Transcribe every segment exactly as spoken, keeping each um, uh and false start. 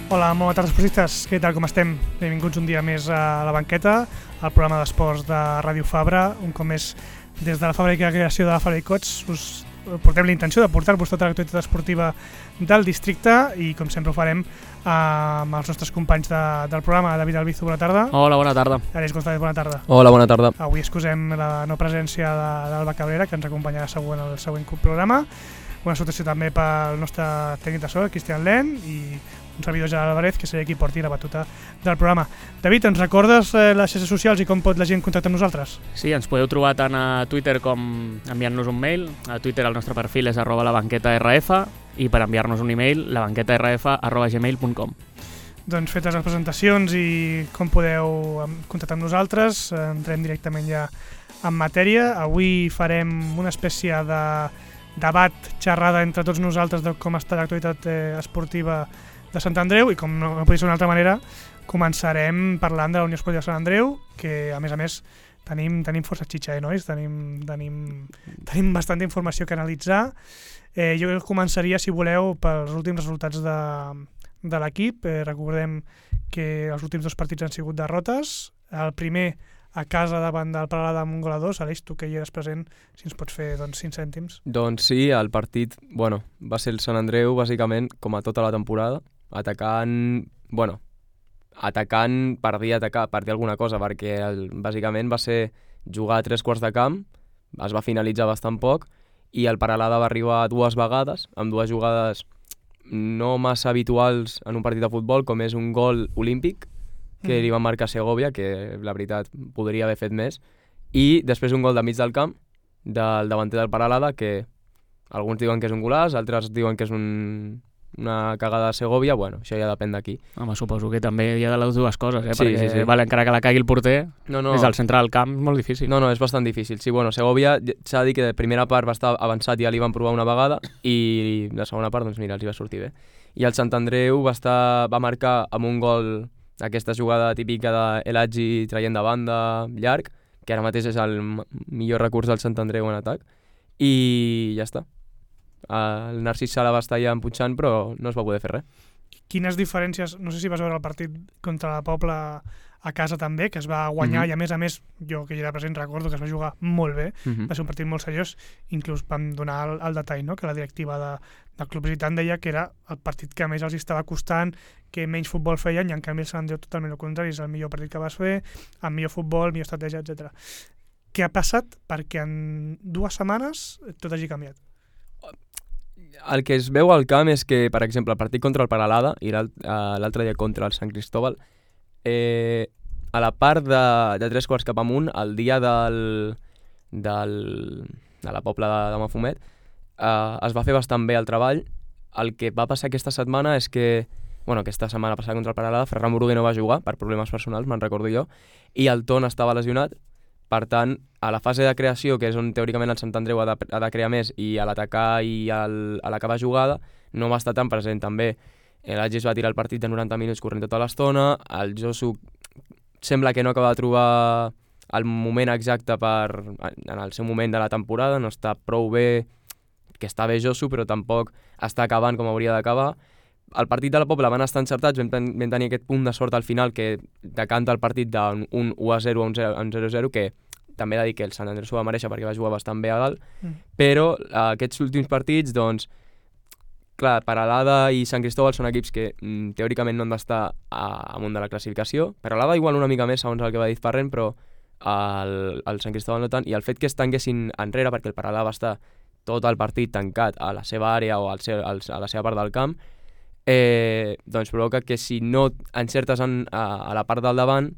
Hola, molt bona tarda, esportistes. Què tal, com estem? Benvinguts un dia més a La Banqueta, al programa d'esports de Ràdio Fabra. Un cop més, des de la fàbrica de creació de la Fabra i Cots, us portem la intenció de portar-vos tota l'actualitat esportiva del districte i, com sempre, ho farem amb els nostres companys de, del programa. David Albizu, bona tarda. Hola, bona tarda. Àlex González, bona tarda. Hola, bona tarda. Avui excusem la no presència de, d'Alba Cabrera, que ens acompanyarà següent el següent programa. Una salutació també pel nostre tècnic de so, Cristian Len, i un servidor Gerard Álvarez, que serà qui porti la batuta del programa. David, ens recordes eh, les xarxes socials i com pot la gent contactar amb nosaltres? Sí, ens podeu trobar tant a Twitter com enviant-nos un mail. A Twitter el nostre perfil és arroba labanquetarf i per enviar-nos un email labanquetarf arroba gmail punt com. Doncs fetes les presentacions i com podeu contactar amb nosaltres, entrem directament ja en matèria. Avui farem una espècie de debat, xerrada entre tots nosaltres de com està l'actualitat eh, esportiva de Sant Andreu i, com no, no podria ser d'una altra manera, començarem parlant de la Unió Esportiva de Sant Andreu, que a més a més tenim, tenim força xitxa, eh, nois? Tenim, tenim, tenim bastanta informació que analitzar. Eh, jo començaria, si voleu, pels últims resultats de, de l'equip. Eh, recordem que els últims dos partits han sigut derrotes. El primer a casa davant del Peralada amb un gol a dos. Aleix, tu que hi eres present, si ens pots fer doncs, cinc cèntims. Doncs sí, el partit bueno, va ser el Sant Andreu, bàsicament, com a tota la temporada, atacant, bueno, atacant per dir atacar, per dir alguna cosa, perquè el, bàsicament va ser jugar a tres quarts de camp, es va finalitzar bastant poc, i el Peralada va arribar dues vegades, amb dues jugades no massa habituals en un partit de futbol, com és un gol olímpic, que mm. li va marcar Segovia, que la veritat podria haver fet més, i després un gol de mig del camp del davanter del Peralada, que alguns diuen que és un golaç, altres diuen que és un, una cagada de Segovia. Bueno, això ja depèn d'aquí. Home, suposo que també hi ha de les dues coses, eh? Sí, perquè sí, sí. Vale, encara que la cagui el porter, no, no. des del centre del camp, molt difícil. No, no, és bastant difícil. Sí, bueno, Segovia, s'ha de dir que de primera part va estar avançat i ja li van provar una vegada, i la segona part, doncs mira, els hi va sortir bé. I el Sant Andreu va, estar, va marcar amb un gol, aquesta jugada típica de El Hadji traient de banda llarg, que ara mateix és el millor recurs del Sant Andreu en atac, i ja està. El Narcís Sala va estar allà empunxant, però no es va poder fer res. Quines diferències, no sé si vas veure el partit contra la Pobla a casa també, que es va guanyar, mm-hmm. i a més a més, jo que hi era present recordo que es va jugar molt bé, mm-hmm. va ser un partit molt seriós, inclús vam donar el, el detall, no? Que la directiva de, del club visitant deia que era el partit que més els estava costant, que menys futbol feien, i en canvi el Sant Andreu totalment el contrari, és el millor partit que vas fer, amb millor futbol, millor estratègia, etcètera. Què ha passat perquè en dues setmanes tot hagi canviat? El que es veu al camp és que, per exemple, el partit contra el Peralada i l'altre dia contra el Sant Cristóbal, eh, a la part de, de tres quarts cap amunt, el dia del, del, de la Pobla de, de Mafumet, eh, es va fer bastant bé el treball. El que va passar aquesta setmana és que, bueno, aquesta setmana passada contra el Peralada, Ferran Muruguer no va jugar per problemes personals, me'n recordo jo, i el Ton estava lesionat. Per tant, a la fase de creació, que és on teòricament el Sant Andreu ha de, ha de crear més, i a l'atacar i al, a l'acabar jugada, no va estar tan present. També l'Agis va tirar el partit de noranta minuts corrent tota l'estona, el Josu sembla que no acaba de trobar el moment exacte per, en el seu moment de la temporada, no està prou bé, que està bé Josu, però tampoc està acabant com hauria d'acabar. El partit de la Pobla van estar encertats, vam, ten vam tenir aquest punt de sort al final que decanta el partit d'un u a zero a un zero a zero, que també he de dir que el Sant Andreu s'ho va mereixer perquè va jugar bastant bé a dalt, mm. però uh, aquests últims partits, doncs, clar, Peralada i Sant Cristóbal són equips que mm, teòricament no han d'estar amunt de la classificació. Peralada igual una mica més, segons el que va dir Ferran, però el, el Sant Cristóbal no tant, i el fet que es tanquessin enrere, perquè el Peralada va estar tot el partit tancat a la seva àrea o al seu, al, a la seva part del camp, Eh, doncs provoca que si no encertes en, a, a la part del davant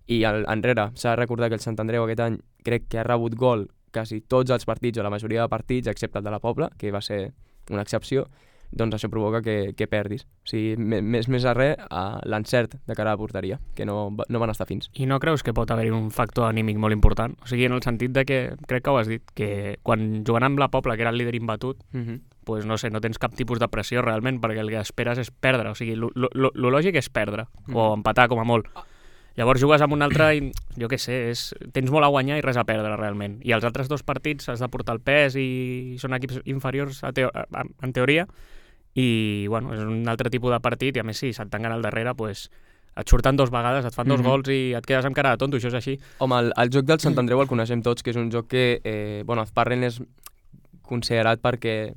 i al, enrere, s'ha de recordar que el Sant Andreu aquest any crec que ha rebut gol quasi tots els partits o la majoria de partits, excepte el de la Pobla, que va ser una excepció, doncs això provoca que, que perdis. O sigui, més, més a res, a l'encert de cara a la porteria, que no, no van estar fins. I no creus que pot haver-hi un factor anímic molt important? O sigui, en el sentit de que, crec que ho has dit, que quan jugant amb la Pobla, que era el líder imbatut, uh-huh. pues no sé, no tens cap tipus de pressió realment, perquè el que esperes és perdre. O sigui, lo, lo, lo lògic és perdre, uh-huh. o empatar com a molt. Llavors jugues amb un altre i, jo què sé, és, tens molt a guanyar i res a perdre realment. I els altres dos partits has de portar el pes i són equips inferiors a teo, a, en teoria, i bueno, és un altre tipus de partit, i a més si se't tanquen al darrere, pues, et surten dos vegades, et fan dos Mhm. gols i et quedes amb cara de tonto, això és així. Home, el, el joc del Sant Andreu el coneixem tots, que és un joc que, eh, bueno, Azparren és considerat perquè,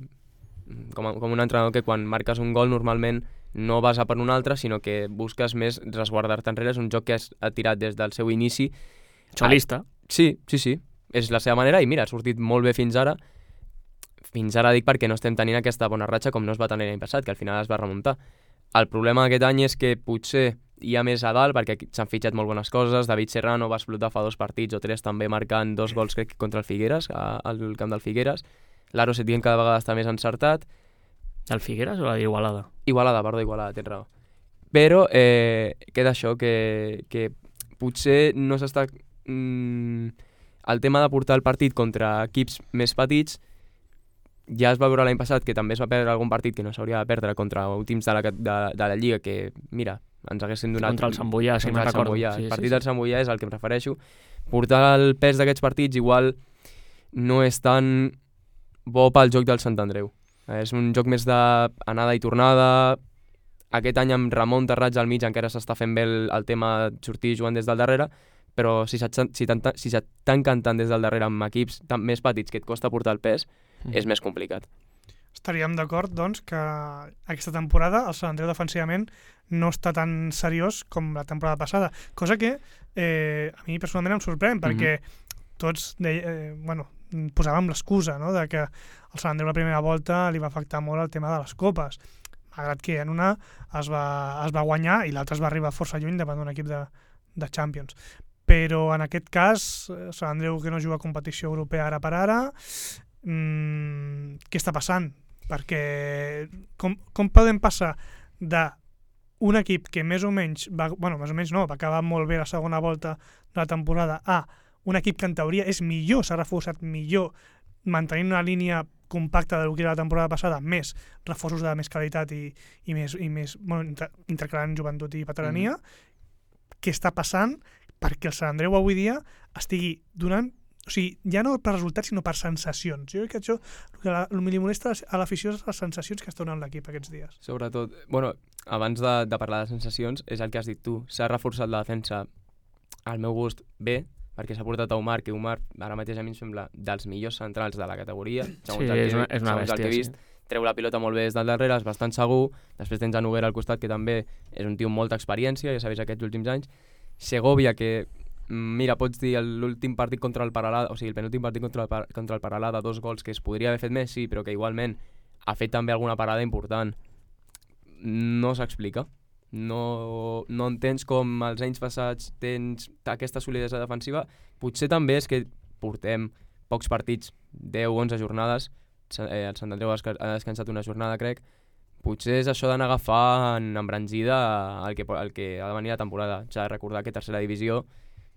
com, a, com un entrenador que quan marques un gol normalment no vas a per un altre, sinó que busques més resguardar-te enrere. És un joc que has, ha tirat des del seu inici. Xolista. Ah, sí, sí, sí. És la seva manera i mira, ha sortit molt bé fins ara. Fins ara dic perquè no estem tenint aquesta bona ratxa com no es va tenir l'any passat, que al final es va remuntar. El problema d'aquest any és que potser hi ha més a dalt perquè s'han fitxat molt bones coses. David Serrano va explotar fa dos partits o tres també marcant dos gols crec contra el Figueres, al camp del Figueres. L'Aro Setién cada vegada està més encertat. El Figueres o la d'Igualada? Igualada, perdó, Igualada, tens raó. Però eh, queda això, que, que potser no s'està... Mm, el tema de portar el partit contra equips més petits ja es va veure l'any passat que també es va perdre algun partit que no s'hauria de perdre contra últims de la, de, de la Lliga que, mira, ens haguessin donat... Contra el Sant Boià, si me'n recordo. Sí, sí, el partit sí, sí. del Sant Boià és al que em refereixo. Portar el pes d'aquests partits igual no és tan bo pel joc del Sant Andreu. És un joc més d'anada i tornada. Aquest any amb Ramon Terrats al mig encara s'està fent bé el, el tema de sortir jugant des del darrere, però si s'estan si si cantant des del darrere amb equips tan més petits que et costa portar el pes, mm. és més complicat. Estaríem d'acord, doncs, que aquesta temporada el Sant Andreu defensivament no està tan seriós com la temporada passada, cosa que eh, a mi personalment em sorprèn, perquè mm-hmm. tots deia, eh, bueno, posàvem l'excusa, no?, de que el Sant Andreu la primera volta li va afectar molt el tema de les copes, malgrat que en una es va, es va guanyar i l'altra es va arribar força lluny davant d'un equip de, de Champions. Però en aquest cas, el Sant Andreu que no juga a competició europea ara per ara, mmm, què està passant? Perquè com, com podem passar d'un equip que més o menys, va, bueno, més o menys no, va acabar molt bé la segona volta de la temporada, a un equip que en teoria és millor, s'ha reforçat millor, mantenint una línia compacta del que era la temporada passada, més reforços de més qualitat i, i més, i més bueno, inter, intercalant joventut i veterania, mm. què està passant perquè el Sant Andreu avui dia estigui donant, o sigui, ja no per resultats sinó per sensacions. Jo crec que això, el que, la, el que li molesta a l'afició és les sensacions que està donant l'equip aquests dies. Sobretot, bueno, abans de, de parlar de sensacions, és el que has dit tu, s'ha reforçat la defensa al meu gust bé, perquè s'ha portat a Omar, que Omar ara mateix a mi em sembla dels millors centrals de la categoria, segons sí, el que, és una, és una segons bèstia, el que he vist, sí. Treu la pilota molt bé des del darrere, és bastant segur, després tens a Noguera al costat, que també és un tio amb molta experiència, ja sabeu aquests últims anys, Segovia, que mira, pots dir l'últim partit contra el Paralada, o sigui, el penúltim partit contra el, contra el Paralada, dos gols que es podria haver fet més, sí, però que igualment ha fet també alguna parada important. No s'explica. No, no entens com els anys passats tens aquesta solidesa defensiva. Potser també és que portem pocs partits, deu o onze jornades, el Sant Andreu ha descansat una jornada, crec. Potser és això d'anar agafant embranzida el que, el que ha de venir la temporada. S'ha de recordar que tercera divisió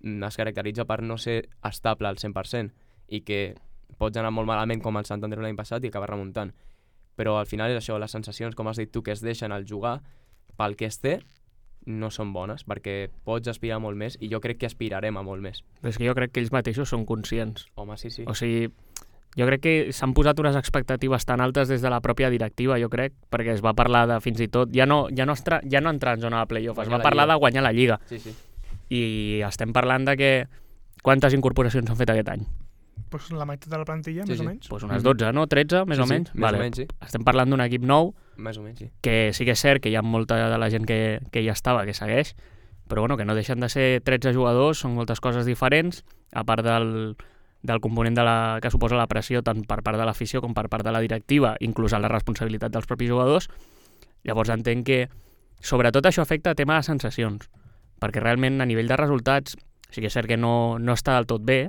es caracteritza per no ser estable al cent per cent i que pots anar molt malament com el Sant Andreu l'any passat i acabar remuntant. Però al final és això, les sensacions, com has dit tu, que es deixen al jugar, pel que es té, no són bones, perquè pots aspirar molt més i jo crec que aspirarem a molt més. Però és que jo crec que ells mateixos són conscients. Home, sí, sí. O sigui, jo crec que s'han posat unes expectatives tan altes des de la pròpia directiva, jo crec, perquè es va parlar de fins i tot, ja no, ja no, estra, ja no entrar en zona de playoff, es va parlar de guanyar la Lliga. Sí, sí. I estem parlant de que quantes incorporacions s'han fet aquest any? Pues la meitat de la plantilla, sí, més sí. o menys. Pues unes dotze, no? tretze, més sí, o menys? Sí, més vale. o menys, sí. Estem parlant d'un equip nou, més o menys, sí. que sí que és cert que hi ha molta de la gent que, que ja estava, que segueix, però bueno, que no deixen de ser tretze jugadors, són moltes coses diferents, a part del, del component de la, que suposa la pressió tant per part de l'afició com per part de la directiva, inclús la responsabilitat dels propis jugadors. Llavors entenc que sobretot això afecta a tema de sensacions, perquè realment a nivell de resultats sí que és cert que no, no està del tot bé,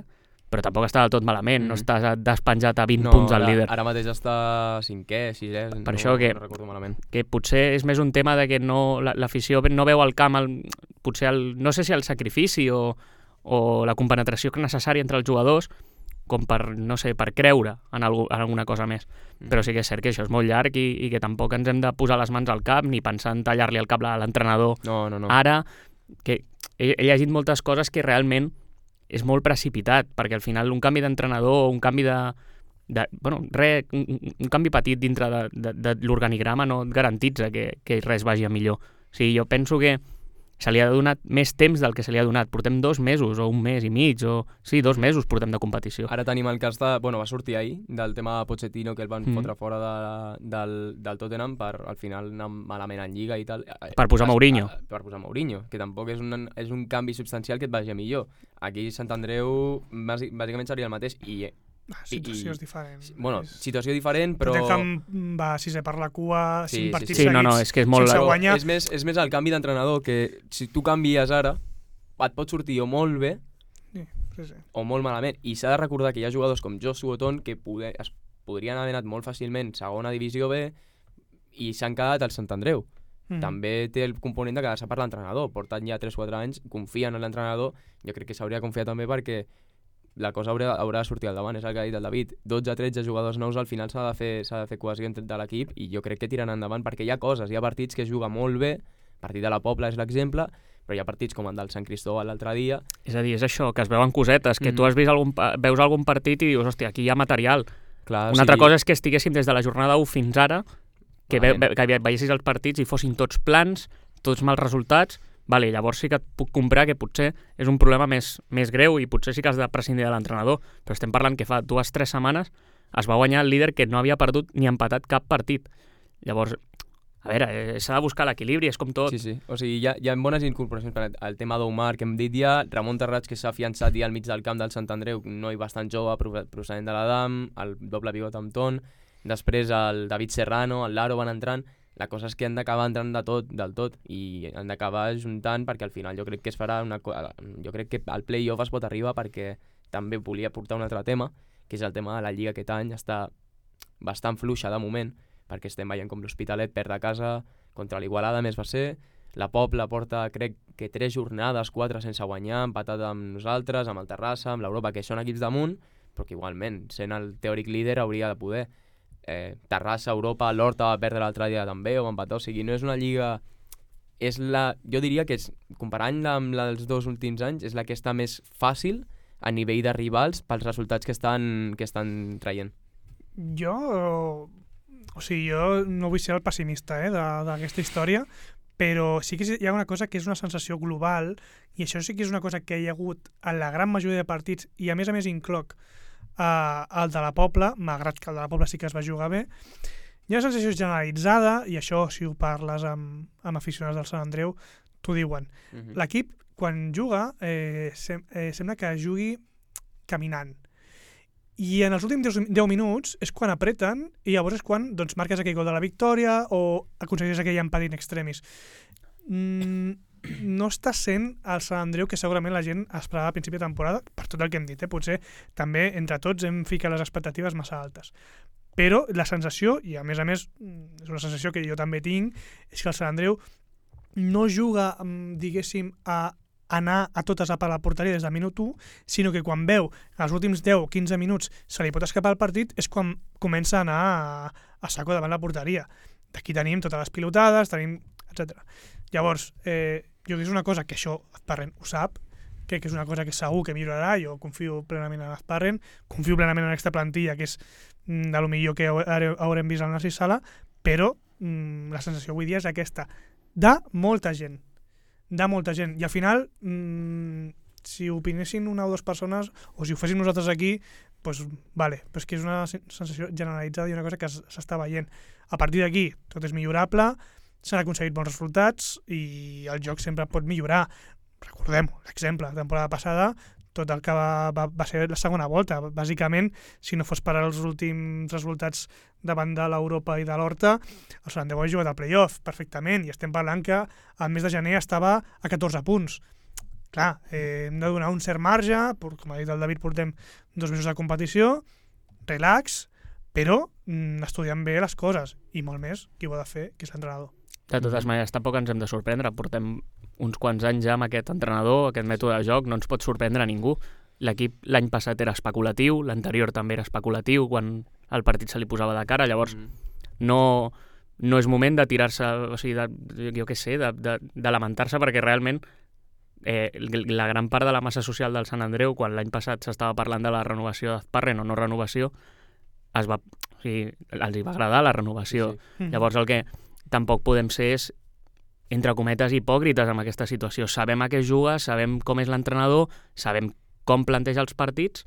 però tampoc està del tot malament, mm. no estàs despenjat a vint no, punts al ara, líder. Ara mateix està cinquè, sisè, per no, això que, no recordo malament. Que potser és més un tema de que no, l'afició no veu al camp, el, potser el, no sé si el sacrifici o, o la compenetració necessària entre els jugadors, com per, no sé, per creure en, algú, en alguna cosa més. Mm. Però sí que és cert que això és molt llarg i, i que tampoc ens hem de posar les mans al cap ni pensar en tallar-li el cap a l'entrenador no, no, no. ara, que he, he llegit moltes coses que realment és molt precipitat, perquè al final un canvi d'entrenador o un canvi de, de, bueno, re, un, un canvi petit dintre de, de, de l'organigrama no et garantitza que, que res vagi a millor. O sigui, jo penso que se li ha donat més temps del que se li ha donat. Portem dos mesos, o un mes i mig, o... Sí, dos mesos portem de competició. Ara tenim el cas de... Bueno, va sortir ahir, del tema de Pochettino, que el van mm. fotre fora de, del, del Tottenham per, al final, anar malament en Lliga i tal. Per posar Mourinho. A, per posar Mourinho, que tampoc és un, és un canvi substancial que et vagi a millor. Aquí Sant Andreu, bàsicament seria el mateix, i... Ah, situació és diferent. Bueno, situació diferent, però... Tottenham va sisè per la cua, sí, cinc sí, partits sí. Sí, seguits, no, no, és que és molt... sense guanyar. És més, és més el canvi d'entrenador, que si tu canvies ara, et pot sortir o molt bé sí, sí, sí. o molt malament. I s'ha de recordar que hi ha jugadors com Josu Oton que poder, es podrien haver anat molt fàcilment segona divisió B i s'han quedat al Sant Andreu. Mm. També té el component de quedar-se per l'entrenador. Porten ja tres o quatre anys, confien en l'entrenador. Jo crec que s'hauria de confiar també perquè la cosa haurà, haurà de sortir al davant, és el que ha dit el David. dotze a tretze jugadors nous, al final s'ha de fer, s'ha de fer cohesió entre de l'equip i jo crec que tiren endavant perquè hi ha coses, hi ha partits que es juga molt bé, el partit de la Pobla és l'exemple, però hi ha partits com el del Sant Cristóbal l'altre dia. És a dir, és això, que es veuen cosetes, que mm. tu has vist algun, veus algun partit i dius, hòstia, aquí hi ha material. Clar, Una sí. altra cosa és que estiguéssim des de la jornada u fins ara, que, ve, que veiessis els partits i fossin tots plans, tots mals resultats. Vale, llavors sí que et puc comprar que potser és un problema més, més greu i potser sí que has de prescindir de l'entrenador, però estem parlant que fa dues o tres setmanes es va guanyar el líder que no havia perdut ni empatat cap partit. Llavors, a veure, eh, s'ha de buscar l'equilibri, és com tot. Sí, sí, o sigui, hi ha, hi ha bones incorporacions per el tema d'Omar, que hem dit ja, Ramon Terrats, que s'ha fiançat ja al mig del camp del Sant Andreu, un noi bastant jove, procedent de l'Adam, el doble pivot amb Ton, després el David Serrano, el Laro van entrant. La cosa és que han d'acabar entrant de tot, del tot, i han d'acabar juntant perquè al final jo crec que es farà una cosa... Jo crec que al play-off es pot arribar perquè també volia portar un altre tema, que és el tema de la Lliga aquest any, està bastant fluixa de moment, perquè estem veient com l'Hospitalet perd a casa, contra l'Igualada més va ser, la Pobla porta crec que tres jornades, quatre sense guanyar, empatat amb nosaltres, amb el Terrassa, amb l'Europa, que són equips damunt, però que igualment, sent el teòric líder, hauria de poder... Eh, Terrassa, Europa, l'Horta va perdre l'altre dia també, o va empatar, o sigui, no és una lliga... És la, jo diria que és, comparant-la amb la dels dos últims anys, és la que està més fàcil a nivell de rivals pels resultats que estan, que estan traient. Jo... O sigui, jo no vull ser el pessimista eh, d'aquesta història, però sí que hi ha una cosa que és una sensació global, i això sí que és una cosa que hi ha hagut en la gran majoria de partits, i a més a més incloc Uh, el de la Pobla, malgrat que el de la Pobla sí que es va jugar bé. Hi ha una sensació generalitzada, i això si ho parles amb, amb aficionats del Sant Andreu t'ho diuen. Uh-huh. L'equip quan juga eh, sem eh, sembla que jugui caminant, i en els últims deu minuts és quan apreten i llavors és quan doncs, marques aquell gol de la victòria o aconsegueixes aquell empat in extremis. mm, no està sent el Sant Andreu que segurament la gent esperava a principi de temporada, per tot el que hem dit, eh? Potser també entre tots hem ficat les expectatives massa altes. Però la sensació, i a més a més és una sensació que jo també tinc, és que el Sant Andreu no juga, diguéssim, a anar a totes a per la porteria des del minut u, sinó que quan veu els últims deu o quinze minuts se li pot escapar el partit és quan comença a anar a, a saco davant la porteria. D'aquí tenim totes les pilotades, tenim, etcètera. Llavors, eh, jo crec que és una cosa que això Azparren ho sap, crec que és una cosa que segur que millorarà, jo confio plenament en Azparren, confio plenament en aquesta plantilla, que és mm, de lo millor que haurem vist al Narcís Sala, però mm, la sensació avui dia és aquesta, de molta gent, de molta gent, i al final, mm, si opinessin una o dues persones, o si ho féssim nosaltres aquí, pues, vale, però és que és una sensació generalitzada i una cosa que s'està veient. A partir d'aquí, tot és millorable, s'han aconseguit bons resultats i el joc sempre pot millorar. Recordem-ho, l'exemple, la temporada passada, tot el que va, va, va ser la segona volta. Bàsicament, si no fos per als últims resultats davant de l'Europa i de l'Horta, el Sant Andreu ha jugat al play-off perfectament i estem parlant que el mes de gener estava a catorze punts. Clar, eh, hem de donar un cert marge, com ha dit el David, portem dos mesos de competició, relax, però mm, estudiant bé les coses, i molt més qui ho ha de fer, que és l'entrenador. De totes maneres, tampoc ens hem de sorprendre. Portem uns quants anys ja amb aquest entrenador, aquest mètode de joc, no ens pot sorprendre a ningú. L'equip l'any passat era especulatiu, l'anterior també era especulatiu, quan el partit se li posava de cara, llavors mm. no, no és moment de tirar-se, o sigui, de, jo què sé, de, de, de lamentar-se, perquè realment eh, la gran part de la massa social del Sant Andreu, quan l'any passat s'estava parlant de la renovació d'Azparren o no renovació, es va, o sigui, els hi va agradar la renovació. Sí, Mm. Llavors el que tampoc podem ser és, entre cometes, hipòcrites amb aquesta situació. Sabem a què juga, sabem com és l'entrenador, sabem com planteja els partits,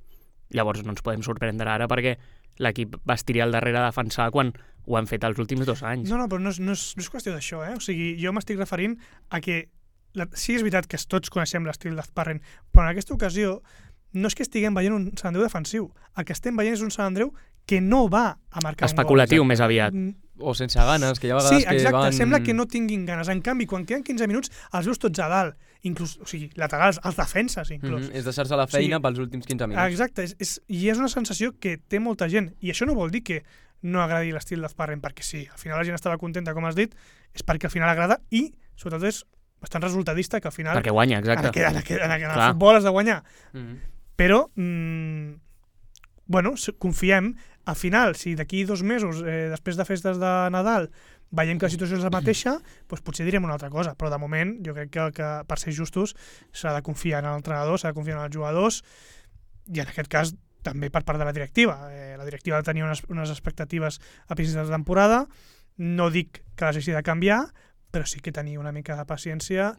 llavors no ens podem sorprendre ara perquè l'equip va estirar al darrere a defensar quan ho han fet els últims dos anys. No, no, però no és, no és, no és qüestió d'això, eh? O sigui, jo m'estic referint a que la, sí és veritat que tots coneixem l'estil d'Azparren, però en aquesta ocasió no és que estiguem veient un Sant Andreu defensiu. El que estem veient és un Sant Andreu que no va a marcar Especulatiu, un gol. més aviat. O sense ganes, que hi ha vegades Sí, exacte, que van... sembla que no tinguin ganes. En canvi, quan queden quinze minuts, els veus tots a dalt, inclús, o sigui, laterals, els defenses, inclús. Mm -hmm. És deixar-se la feina Sí. pels últims quinze minuts. Exacte, és, és, i és una sensació que té molta gent, i això no vol dir que no agradi l'estil d'Azparren, perquè sí, al final la gent estava contenta, com has dit, és perquè al final agrada i, sobretot, és bastant resultadista, que al final... Perquè guanya, En, exacte. aquest, en, aquest, en, aquest, en Clar. el futbol has de guanyar. Mm -hmm. Però, mmm, bueno, s- confiem, al final, si d'aquí dos mesos, eh, després de festes de Nadal, veiem que la situació és la mateixa, doncs potser direm una altra cosa, però de moment jo crec que, que per ser justos s'ha de confiar en l'entrenador, s'ha de confiar en els jugadors, i en aquest cas també per part de la directiva. Eh, la directiva tenia unes, unes expectatives a principis de temporada, no dic que les hagi de canviar, però sí que tenia una mica de paciència,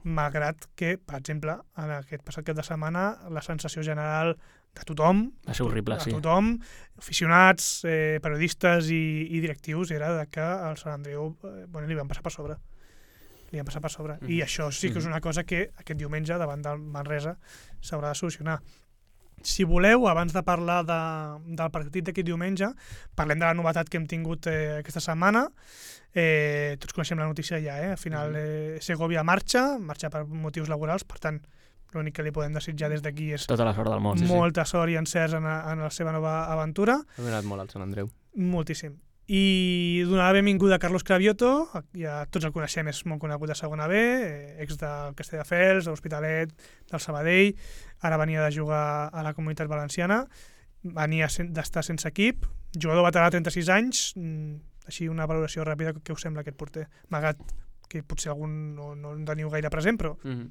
malgrat que, per exemple, en aquest passat cap de setmana, la sensació general de tothom, Va ser horrible, de sí. tothom, aficionats, eh, periodistes i, i directius, era de que el Sant Andreu eh, bueno, li van passar per sobre. Li van passar per sobre. Mhm. I això sí que és Mhm. una cosa que aquest diumenge, davant del Manresa, s'haurà de solucionar. Si voleu, abans de parlar de, del partit d'aquest diumenge, parlem de la novetat que hem tingut eh, aquesta setmana. Eh, tots coneixem la notícia ja, eh? Al final eh, Segovia marxa, marxa per motius laborals, per tant, l'únic que li podem desitjar des d'aquí és Tota la sort del món. sí, sí. molta sort i encerts en, a- en la seva nova aventura, Ha donat molt al Sant Andreu. moltíssim. I donar la benvinguda a Carlos Cravioto, ja tots el coneixem, és molt conegut de segona B, eh, ex del Castelldefels, de l'Hospitalet, del Sabadell, ara venia de jugar a la Comunitat Valenciana, venia sen- d'estar sense equip, jugador veterà de trenta-sis anys, mm, així una valoració ràpida, què us sembla aquest porter? Malgrat que potser algun no, no en teniu gaire present, però Mm -hmm.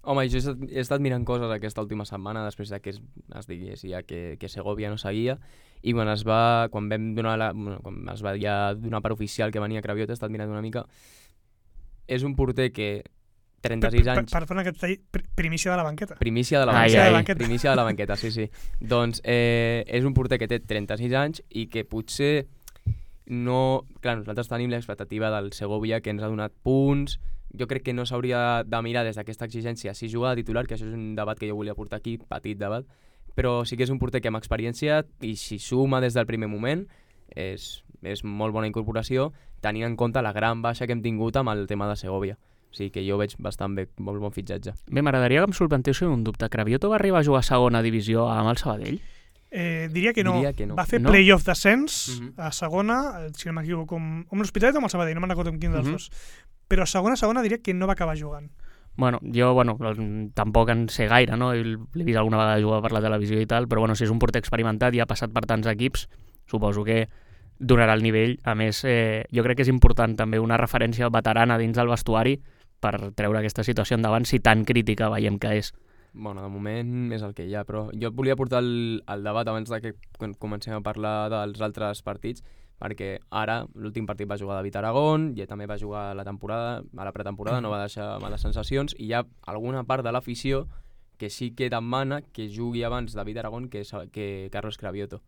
Home, jo he estat, he estat mirant coses aquesta última setmana després de que es, es digués ja que, que Segovia no seguia, i quan es va, quan vam donar la, bueno, quan es va ja donar per oficial que venia Cravioto, he estat mirant una mica. És un porter que trenta-sis per, anys, per, per fer aquest tall, pr- primícia de la banqueta. primícia de la Ai, banqueta, ai. de banqueta. primícia de la banqueta, sí, sí. Doncs eh, és un porter que té trenta-sis anys i que potser no... Clar, nosaltres tenim l'expectativa del Segovia, que ens ha donat punts. Jo crec que no s'hauria de mirar des d'aquesta exigència si juga de titular, que això és un debat que jo volia portar aquí, petit debat, però sí que és un porter que amb experiència, i si suma des del primer moment, és, és molt bona incorporació, tenint en compte la gran baixa que hem tingut amb el tema de Segovia. O sigui que jo veig bastant bé, molt bon fitxatge. Bé, m'agradaria que em solventéssiu un dubte. Cravioto va arribar a jugar a segona divisió amb el Sabadell? Eh, diria que no. Diria que no. Va fer No? playoff d'ascens Mhm. a segona, eh, si no m'equivoco, amb, amb l'Hospitalet o amb el Sabadell, no me'n recordo amb quin dels Mhm. dos. Però a segona, segona diria que no va acabar jugant. Bueno, jo, bueno, tampoc en sé gaire, no? L'he vist alguna vegada jugar per la televisió i tal, però bueno, si és un porter experimentat i ha passat per tants equips, suposo que donarà el nivell. A més, eh, jo crec que és important també una referència veterana dins del vestuari per treure aquesta situació endavant, si tan crítica veiem que és. Bueno, de moment és el que hi ha, però jo et volia portar el, el debat abans de que comencem a parlar dels altres partits, perquè ara l'últim partit va jugar David Aragón, i també va jugar a la temporada, a la pretemporada, no va deixar males sensacions, i hi ha alguna part de l'afició que sí que demana que jugui abans David Aragón que, que Carlos Cravioto.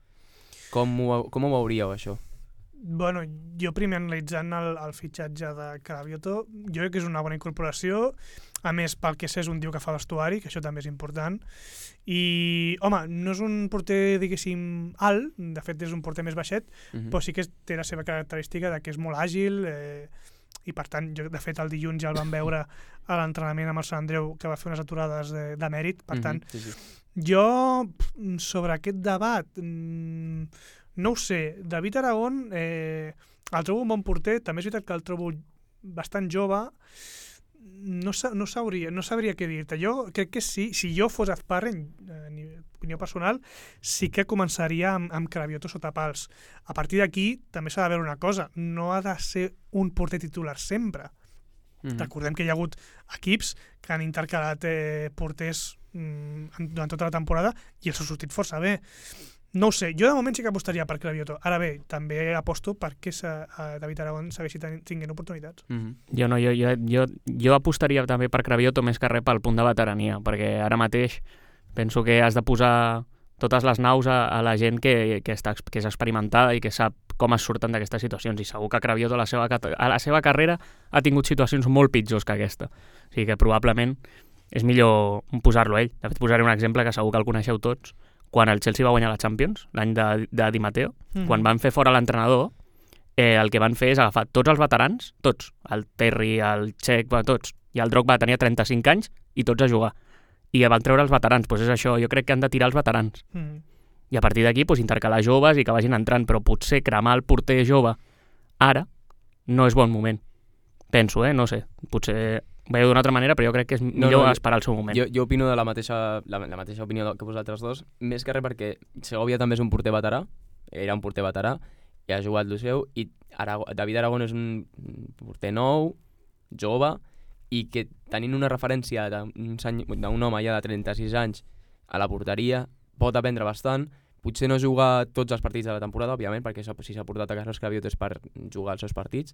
Com ho, com ho veuríeu, això? Bueno, jo primer analitzant el, el fitxatge de Cravioto, jo crec que és una bona incorporació, a més pel que sé és un tio que fa vestuari, que això també és important, i home, no és un porter diguéssim alt, de fet és un porter més baixet, Mm-hmm. però sí que té la seva característica de que és molt àgil, eh, i per tant, jo, de fet el dilluns ja el vam veure a l'entrenament amb el Sant Andreu, que va fer unes aturades de, de mèrit, per tant, sí, sí. jo, pf, sobre aquest debat, mm, no ho sé. David Aragón, eh, el trobo un bon porter, també és veritat que el trobo bastant jove, no, sa no, sabria, no sabria què dir-te. Jo crec que sí, si jo fos Azparren, en opinió personal, sí que començaria amb, amb Cravioto sota pals. A partir d'aquí també s'ha de veure una cosa, no ha de ser un porter titular sempre. Mm-hmm. Recordem que hi ha hagut equips que han intercalat eh, porters mm, durant tota la temporada i els ha sortit força bé. No ho sé, jo de moment sí que apostaria per Cravioto. Ara bé, també aposto perquè David Aragón segueixi tinguent oportunitats. Mm-hmm. Jo no, jo, jo, jo, jo apostaria també per Cravioto més que res pel punt de veterania, perquè ara mateix penso que has de posar totes les naus a, a la gent que, que, està, que és experimentada i que sap com es surten d'aquestes situacions, i segur que Cravioto a la, seva, a la seva carrera ha tingut situacions molt pitjors que aquesta. O sigui que probablement és millor posar-lo ell. De fet, posaré un exemple que segur que el coneixeu tots. Quan el Chelsea va guanyar la Champions, l'any de, de Di Matteo, mm. quan van fer fora l'entrenador, eh, el que van fer és agafar tots els veterans, tots, el Terry, el Cech, tots, i el Drogba tenia trenta-cinc anys i tots a jugar. I van treure els veterans, doncs és això, jo crec que han de tirar els veterans. Mm. I a partir d'aquí doncs, intercalar joves i que vagin entrant, però potser cremar el porter jove ara no és bon moment. Penso, eh? No sé, potser veieu d'una altra manera, però jo crec que és millor no, no, esperar el seu moment. Jo, jo opino de la mateixa, la, la mateixa opinió que vosaltres dos, més que res perquè Segovia també és un porter veterà, era un porter veterà, i ha jugat el seu, i Arago, David Aragón és un porter nou, jove, i que tenint una referència d'un home ja de trenta-sis anys a la porteria, pot aprendre bastant. Potser no juga tots els partits de la temporada, òbviament, perquè si s'ha portat a casa Cravioto és per jugar els seus partits,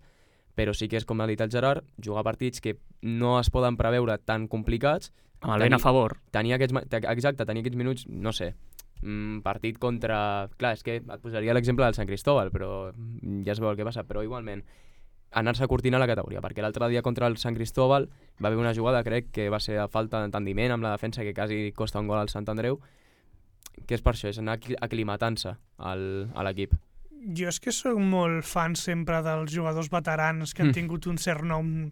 però sí que és, com ha dit el Gerard, jugar partits que no es poden preveure tan complicats. Amb el vent a favor. Tenir aquests, exacte, tenir aquests minuts, no sé, un partit contra... Clar, és que et posaria l'exemple del Sant Cristóbal, però ja es veu el que passa, però igualment anar-se curtint a la categoria, perquè l'altre dia contra el Sant Cristóbal va haver una jugada, crec, que va ser a falta d'entendiment amb la defensa que quasi costa un gol al Sant Andreu, que és per això, és anar aclimatant-se a l'equip. Jo és que soc molt fan sempre dels jugadors veterans que han mm. tingut un cert nom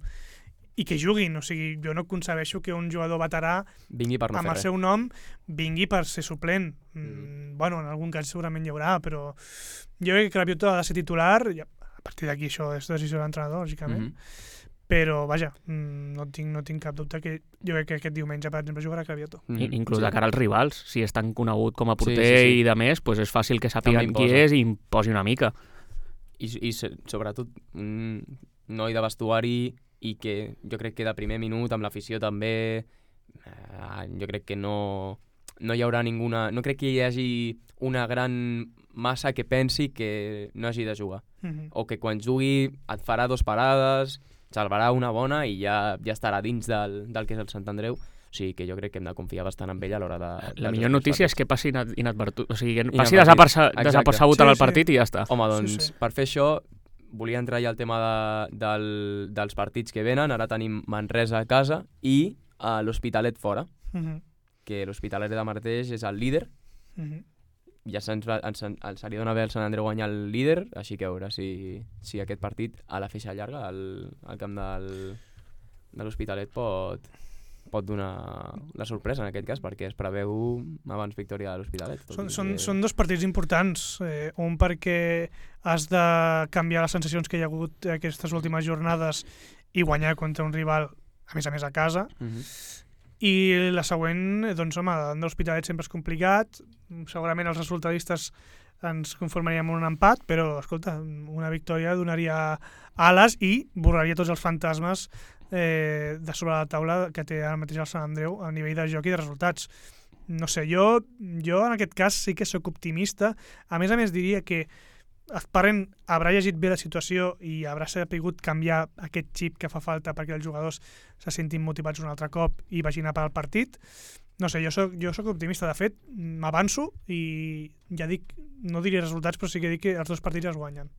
i que juguin, o sigui, jo no concebeixo que un jugador veterà vingui per no amb el res. seu nom vingui per ser suplent. Mm. Bueno, en algun cas segurament hi haurà, però jo crec que Cravioto ha de ser titular, i a partir d'aquí això és decisió de l'entrenador, lògicament, mm-hmm. però vaja, no tinc, no tinc cap dubte que jo crec que aquest diumenge, per exemple, jugarà Cravioto. Mm-hmm. Inclús sí. de cara als rivals, si és tan conegut com a porter sí, sí, sí. i de més, pues és fàcil que sàpiguen qui és i imposi una mica. I, i sobretot un noi de vestuari i que jo crec que de primer minut amb l'afició també eh, jo crec que no, no hi haurà ninguna... No crec que hi hagi una gran massa que pensi que no hagi de jugar. Mm-hmm. O que quan jugui et farà dos parades, salvarà una bona i ja, ja estarà dins del, del que és el Sant Andreu. O sigui que jo crec que hem de confiar bastant en ell a l'hora de... La millor notícia és que passi inadvertut, o sigui, que passi desapercebut en el partit sí, sí. i ja està. Home, doncs, sí, sí. per fer això, volia entrar ja al tema de, del, dels partits que venen. Ara tenim Manresa a casa i uh, l'Hospitalet fora, mm-hmm. que l'Hospitalet de Marteix és el líder. Mm-hmm. Ja se'ns ens, ens li dona bé el Sant Andreu guanyar el líder, així que a veure si, si aquest partit a la feixa llarga, al, al camp del, de l'Hospitalet, pot, pot donar la sorpresa en aquest cas, perquè es preveu abans victòria de l'Hospitalet. Són, són, que... són dos partits importants, eh, un perquè has de canviar les sensacions que hi ha hagut aquestes últimes jornades i guanyar contra un rival, a més a més a casa, mm-hmm. i la següent, doncs home, de l'Hospitalet sempre és complicat, segurament els resultadistes ens conformaríem amb un empat, però escolta, una victòria donaria ales i borraria tots els fantasmes eh, de sobre la taula que té ara mateix el Sant Andreu a nivell de joc i de resultats. No sé, jo, jo en aquest cas sí que sóc optimista. A més a més diria que Sparren haurà llegit bé la situació i haurà sapigut canviar aquest xip que fa falta perquè els jugadors se sentin motivats un altre cop i vagin a per al partit. No sé, jo soc, jo soc optimista. De fet, m'avanço i ja dic, no diré resultats, però sí que dic que els dos partits es guanyen.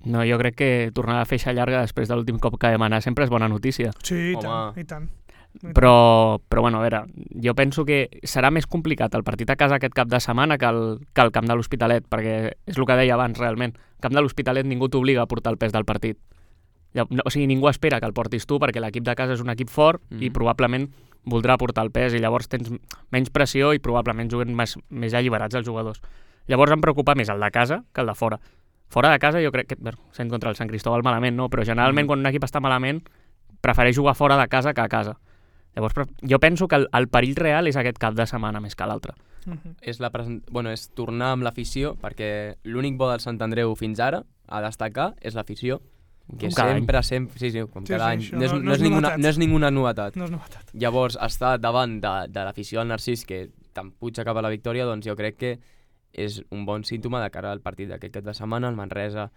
No, jo crec que tornar a feixa llarga després de l'últim cop que vam anar sempre és bona notícia. Sí, i tant, i tant. Però, però bueno, a veure, jo penso que serà més complicat el partit a casa aquest cap de setmana que el, que el camp de l'Hospitalet, perquè és el que deia abans, realment. El camp de l'Hospitalet ningú t'obliga a portar el pes del partit. No, o sigui, ningú espera que el portis tu, perquè l'equip de casa és un equip fort mm-hmm. i probablement voldrà portar el pes i llavors tens menys pressió i probablement juguen més, més alliberats els jugadors. Llavors em preocupa més el de casa que el de fora. Fora de casa jo crec que, bueno, sent contra el Sant Cristóbal malament, no? Però generalment mm-hmm. quan un equip està malament prefereix jugar fora de casa que a casa. Llavors, jo penso que el, el perill real és aquest cap de setmana més que l'altre. Uh-huh. És, la present... bueno, és tornar amb l'afició, perquè l'únic bo del Sant Andreu fins ara, a destacar, és l'afició, que sempre, sempre, sí, sí, com sí, cada sí, any, no, no és, no, no, és ninguna, no és ninguna novetat. No és novetat. Llavors, estar davant de, de l'afició del Narcís, que te'n puja cap a la victòria, doncs jo crec que és un bon símptoma de cara al partit d'aquest cap de setmana. El Manresa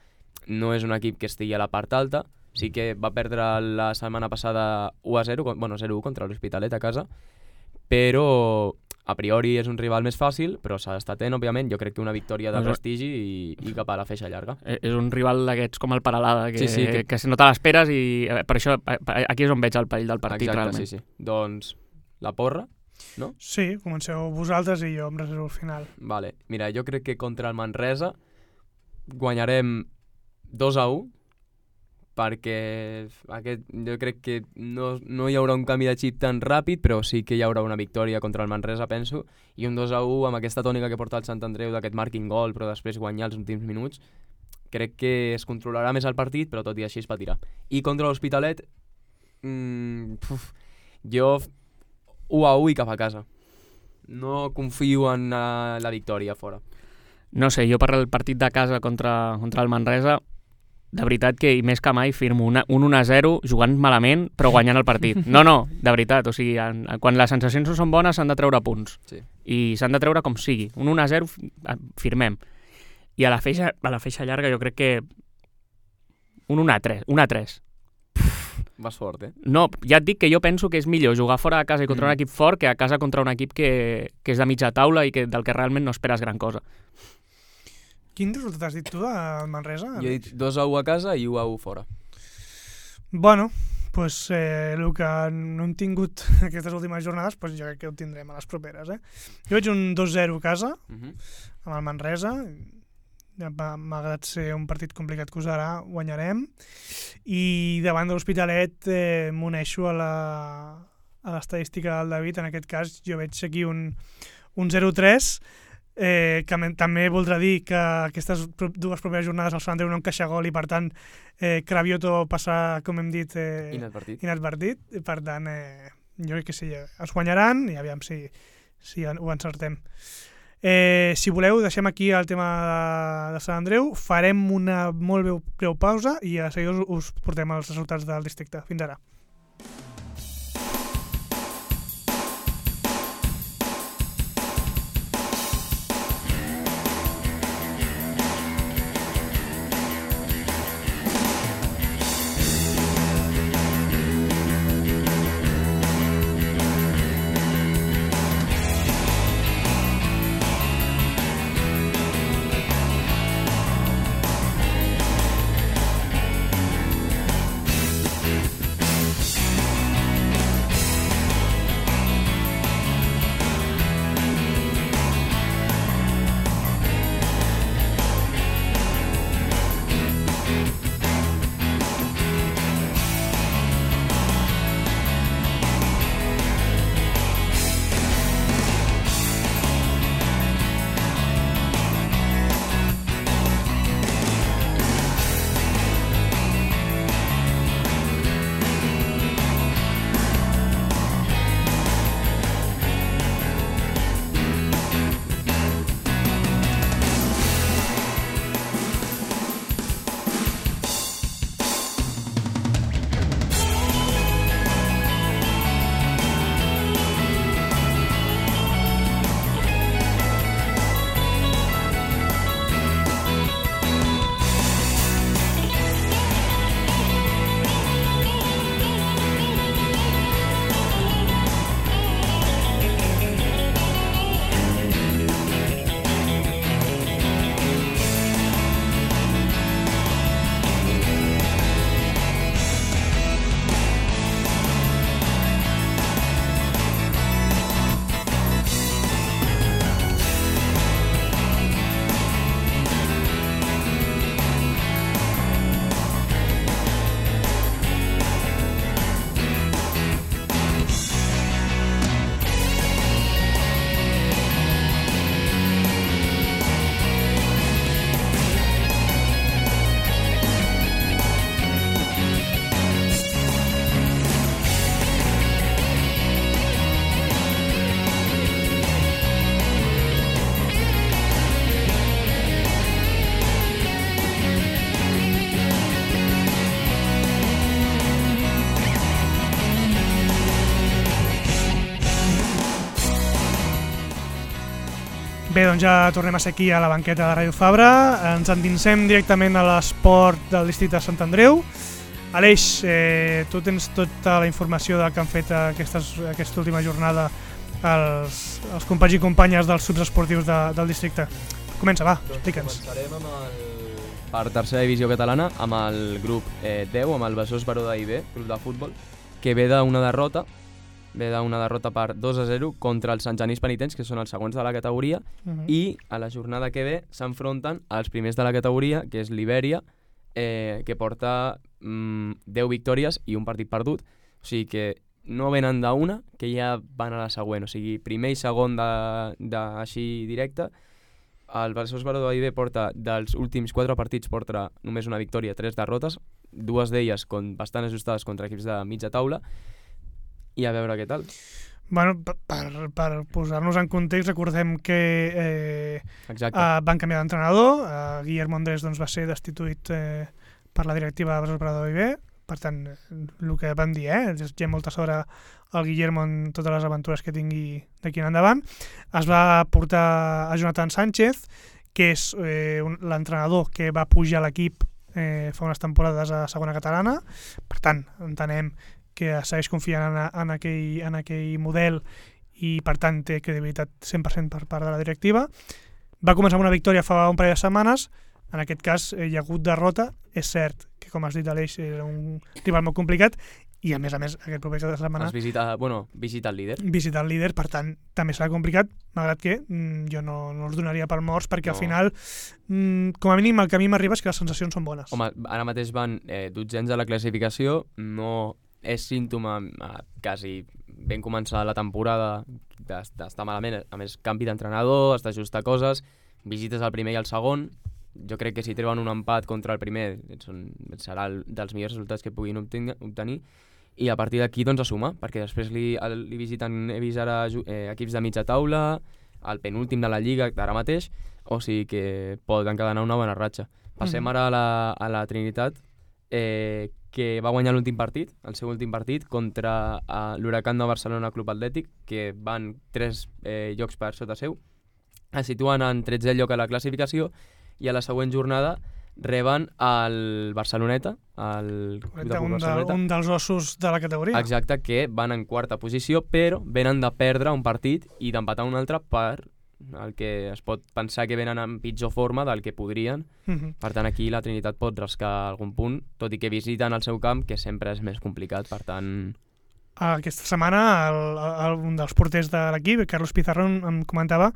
no és un equip que estigui a la part alta, sí que va perdre la setmana passada u a zero, bueno, zero a u contra l'Hospitalet a casa, però a priori és un rival més fàcil, però s'ha d'estar atent, òbviament. Jo crec que una victòria de prestigi i, i cap a la feixa llarga. És un rival d'aquests com el Paralada, que, sí, sí, que... que no te l'esperes i per això aquí és on veig el perill del partit. Exacte, realment. Sí, sí. Doncs la porra, no? Sí, comenceu vosaltres i jo em reservo al final. Vale. Mira, jo crec que contra el Manresa guanyarem dos a u, perquè aquest, jo crec que no, no hi haurà un canvi de xip tan ràpid, però sí que hi haurà una victòria contra el Manresa, penso, i un dos a u amb aquesta tònica que porta el Sant Andreu d'aquest marking gol, però després guanyar els últims minuts. Crec que es controlarà més el partit, però tot i així es patirà. I contra l'Hospitalet, mmm, puf, jo u a u i cap a casa. No confio en uh, la victòria fora. No sé, jo per el partit de casa contra, contra el Manresa, de veritat que, i més que mai, firmo una, un un a zero jugant malament, però guanyant el partit. No, no, de veritat, o sigui, en, quan les sensacions no són bones s'han de treure punts. Sí. I s'han de treure com sigui. Un un a zero firmem. I a la feixa, a la feixa llarga jo crec que un un a tres. un a tres. Vas fort, eh? No, ja et dic que jo penso que és millor jugar fora de casa i contra mm. un equip fort que a casa contra un equip que, que és de mitja taula i que, del que realment no esperes gran cosa. Quin resultat has dit tu del Manresa? Jo he dit dos a u a casa i u a u fora. Bueno, pues, eh, el que no hem tingut aquestes últimes jornades, pues jo crec que ho tindrem a les properes. Eh? Jo veig un dos zero a casa, uh-huh. amb el Manresa. Malgrat ser un partit complicat que usarà, guanyarem. I davant de l'Hospitalet eh, m'uneixo a la, a l'estadística del David. En aquest cas jo veig aquí un, un zero tres. Eh, que també voldrà dir que aquestes dues properes jornades el Sant Andreu no encaixa gol i per tant eh, Cravioto passa, com hem dit, eh, inadvertit. inadvertit i per tant eh, jo crec que sí, es guanyaran i aviam si, si ho encertem. Eh, si voleu deixem aquí el tema de, de Sant Andreu, farem una molt breu, breu pausa i a seguida us, us portem els resultats del districte. Fins ara. Bé, doncs ja tornem a ser aquí a la banqueta de Ràdio Fabra. Ens endinsem directament a l'esport del districte de Sant Andreu. Aleix, eh, tu tens tota la informació del que han fet aquestes, aquesta última jornada els, els companys i companyes dels subs esportius de, del districte. Comença, va, explica'ns. Començarem amb el, per tercera divisió catalana amb el grup eh, deu, amb el Besòs Baró d'A I B, grup de futbol, que ve d'una derrota ve d'una derrota per dos a zero contra els Sant Genís Penitents, que són els segons de la categoria, uh-huh. i a la jornada que ve s'enfronten als primers de la categoria, que és l'Ibèria, eh, que porta mm, deu victòries i un partit perdut. O sigui que no venen d'una, que ja van a la següent. O sigui, primer i segon de, de així directe. El Besòs Baró d'A I B porta, dels últims quatre partits, porta només una victòria, tres derrotes, dues d'elles con, bastant ajustades contra equips de mitja taula, i a veure què tal. Bueno, per, per posar-nos en context, recordem que eh, eh, van canviar d'entrenador. Eh, Guillermo Andrés doncs, va ser destituït eh, per la directiva de Besòs Baró d'A I B. Per tant, el que van dir, eh, hi ha molta sort al Guillermo en totes les aventures que tingui d'aquí en endavant. Es va portar a Jonathan Sánchez, que és eh, l'entrenador que va pujar l'equip eh, fa unes temporades a segona catalana. Per tant, entenem que segueix confiant en, en, aquell, en aquell model i per tant té credibilitat cent per cent per part de la directiva. Va començar amb una victòria fa un parell de setmanes. En aquest cas eh, hi ha hagut derrota. És cert que, com has dit, Aleix, era un rival molt complicat i, a més a més, aquest proper de setmana es visita, bueno, visita el líder. Visita el líder, per tant, també serà complicat, malgrat que mm, jo no, no els donaria per morts, perquè no. Al final, mm, com a mínim, el que a mi m'arriba és que les sensacions són bones. Home, ara mateix van eh, dotzens a la classificació, no és símptoma eh, quasi ben començar la temporada d'estar malament. A més, canvi d'entrenador, has d'ajustar coses, visites el primer i el segon. Jo crec que si treuen un empat contra el primer són, serà el, dels millors resultats que puguin obtenir, obtenir. I a partir d'aquí doncs a sumar, perquè després li, li visiten, he vist ara eh, equips de mitja taula, el penúltim de la Lliga d'ara mateix, o sigui que pot encadenar una bona ratxa. Passem mm-hmm. ara a la, a la Trinitat, eh, que va guanyar l'últim partit, el seu últim partit, contra uh, l'Huracán de Barcelona Club Atlètic, que van tres eh, llocs per sota seu. Es situen en tretzè lloc a la classificació i a la següent jornada reben el Barceloneta, el Club de un, Barceloneta. De, un dels ossos de la categoria. Exacte, que van en quarta posició, però venen de perdre un partit i d'empatar un altre per el que es pot pensar que venen en pitjor forma del que podrien. Uh-huh. Per tant, aquí la Trinitat pot rascar algun punt, tot i que visiten el seu camp, que sempre és més complicat, per tant... Aquesta setmana el, el, un dels porters de l'equip, Carlos Pizarro, em comentava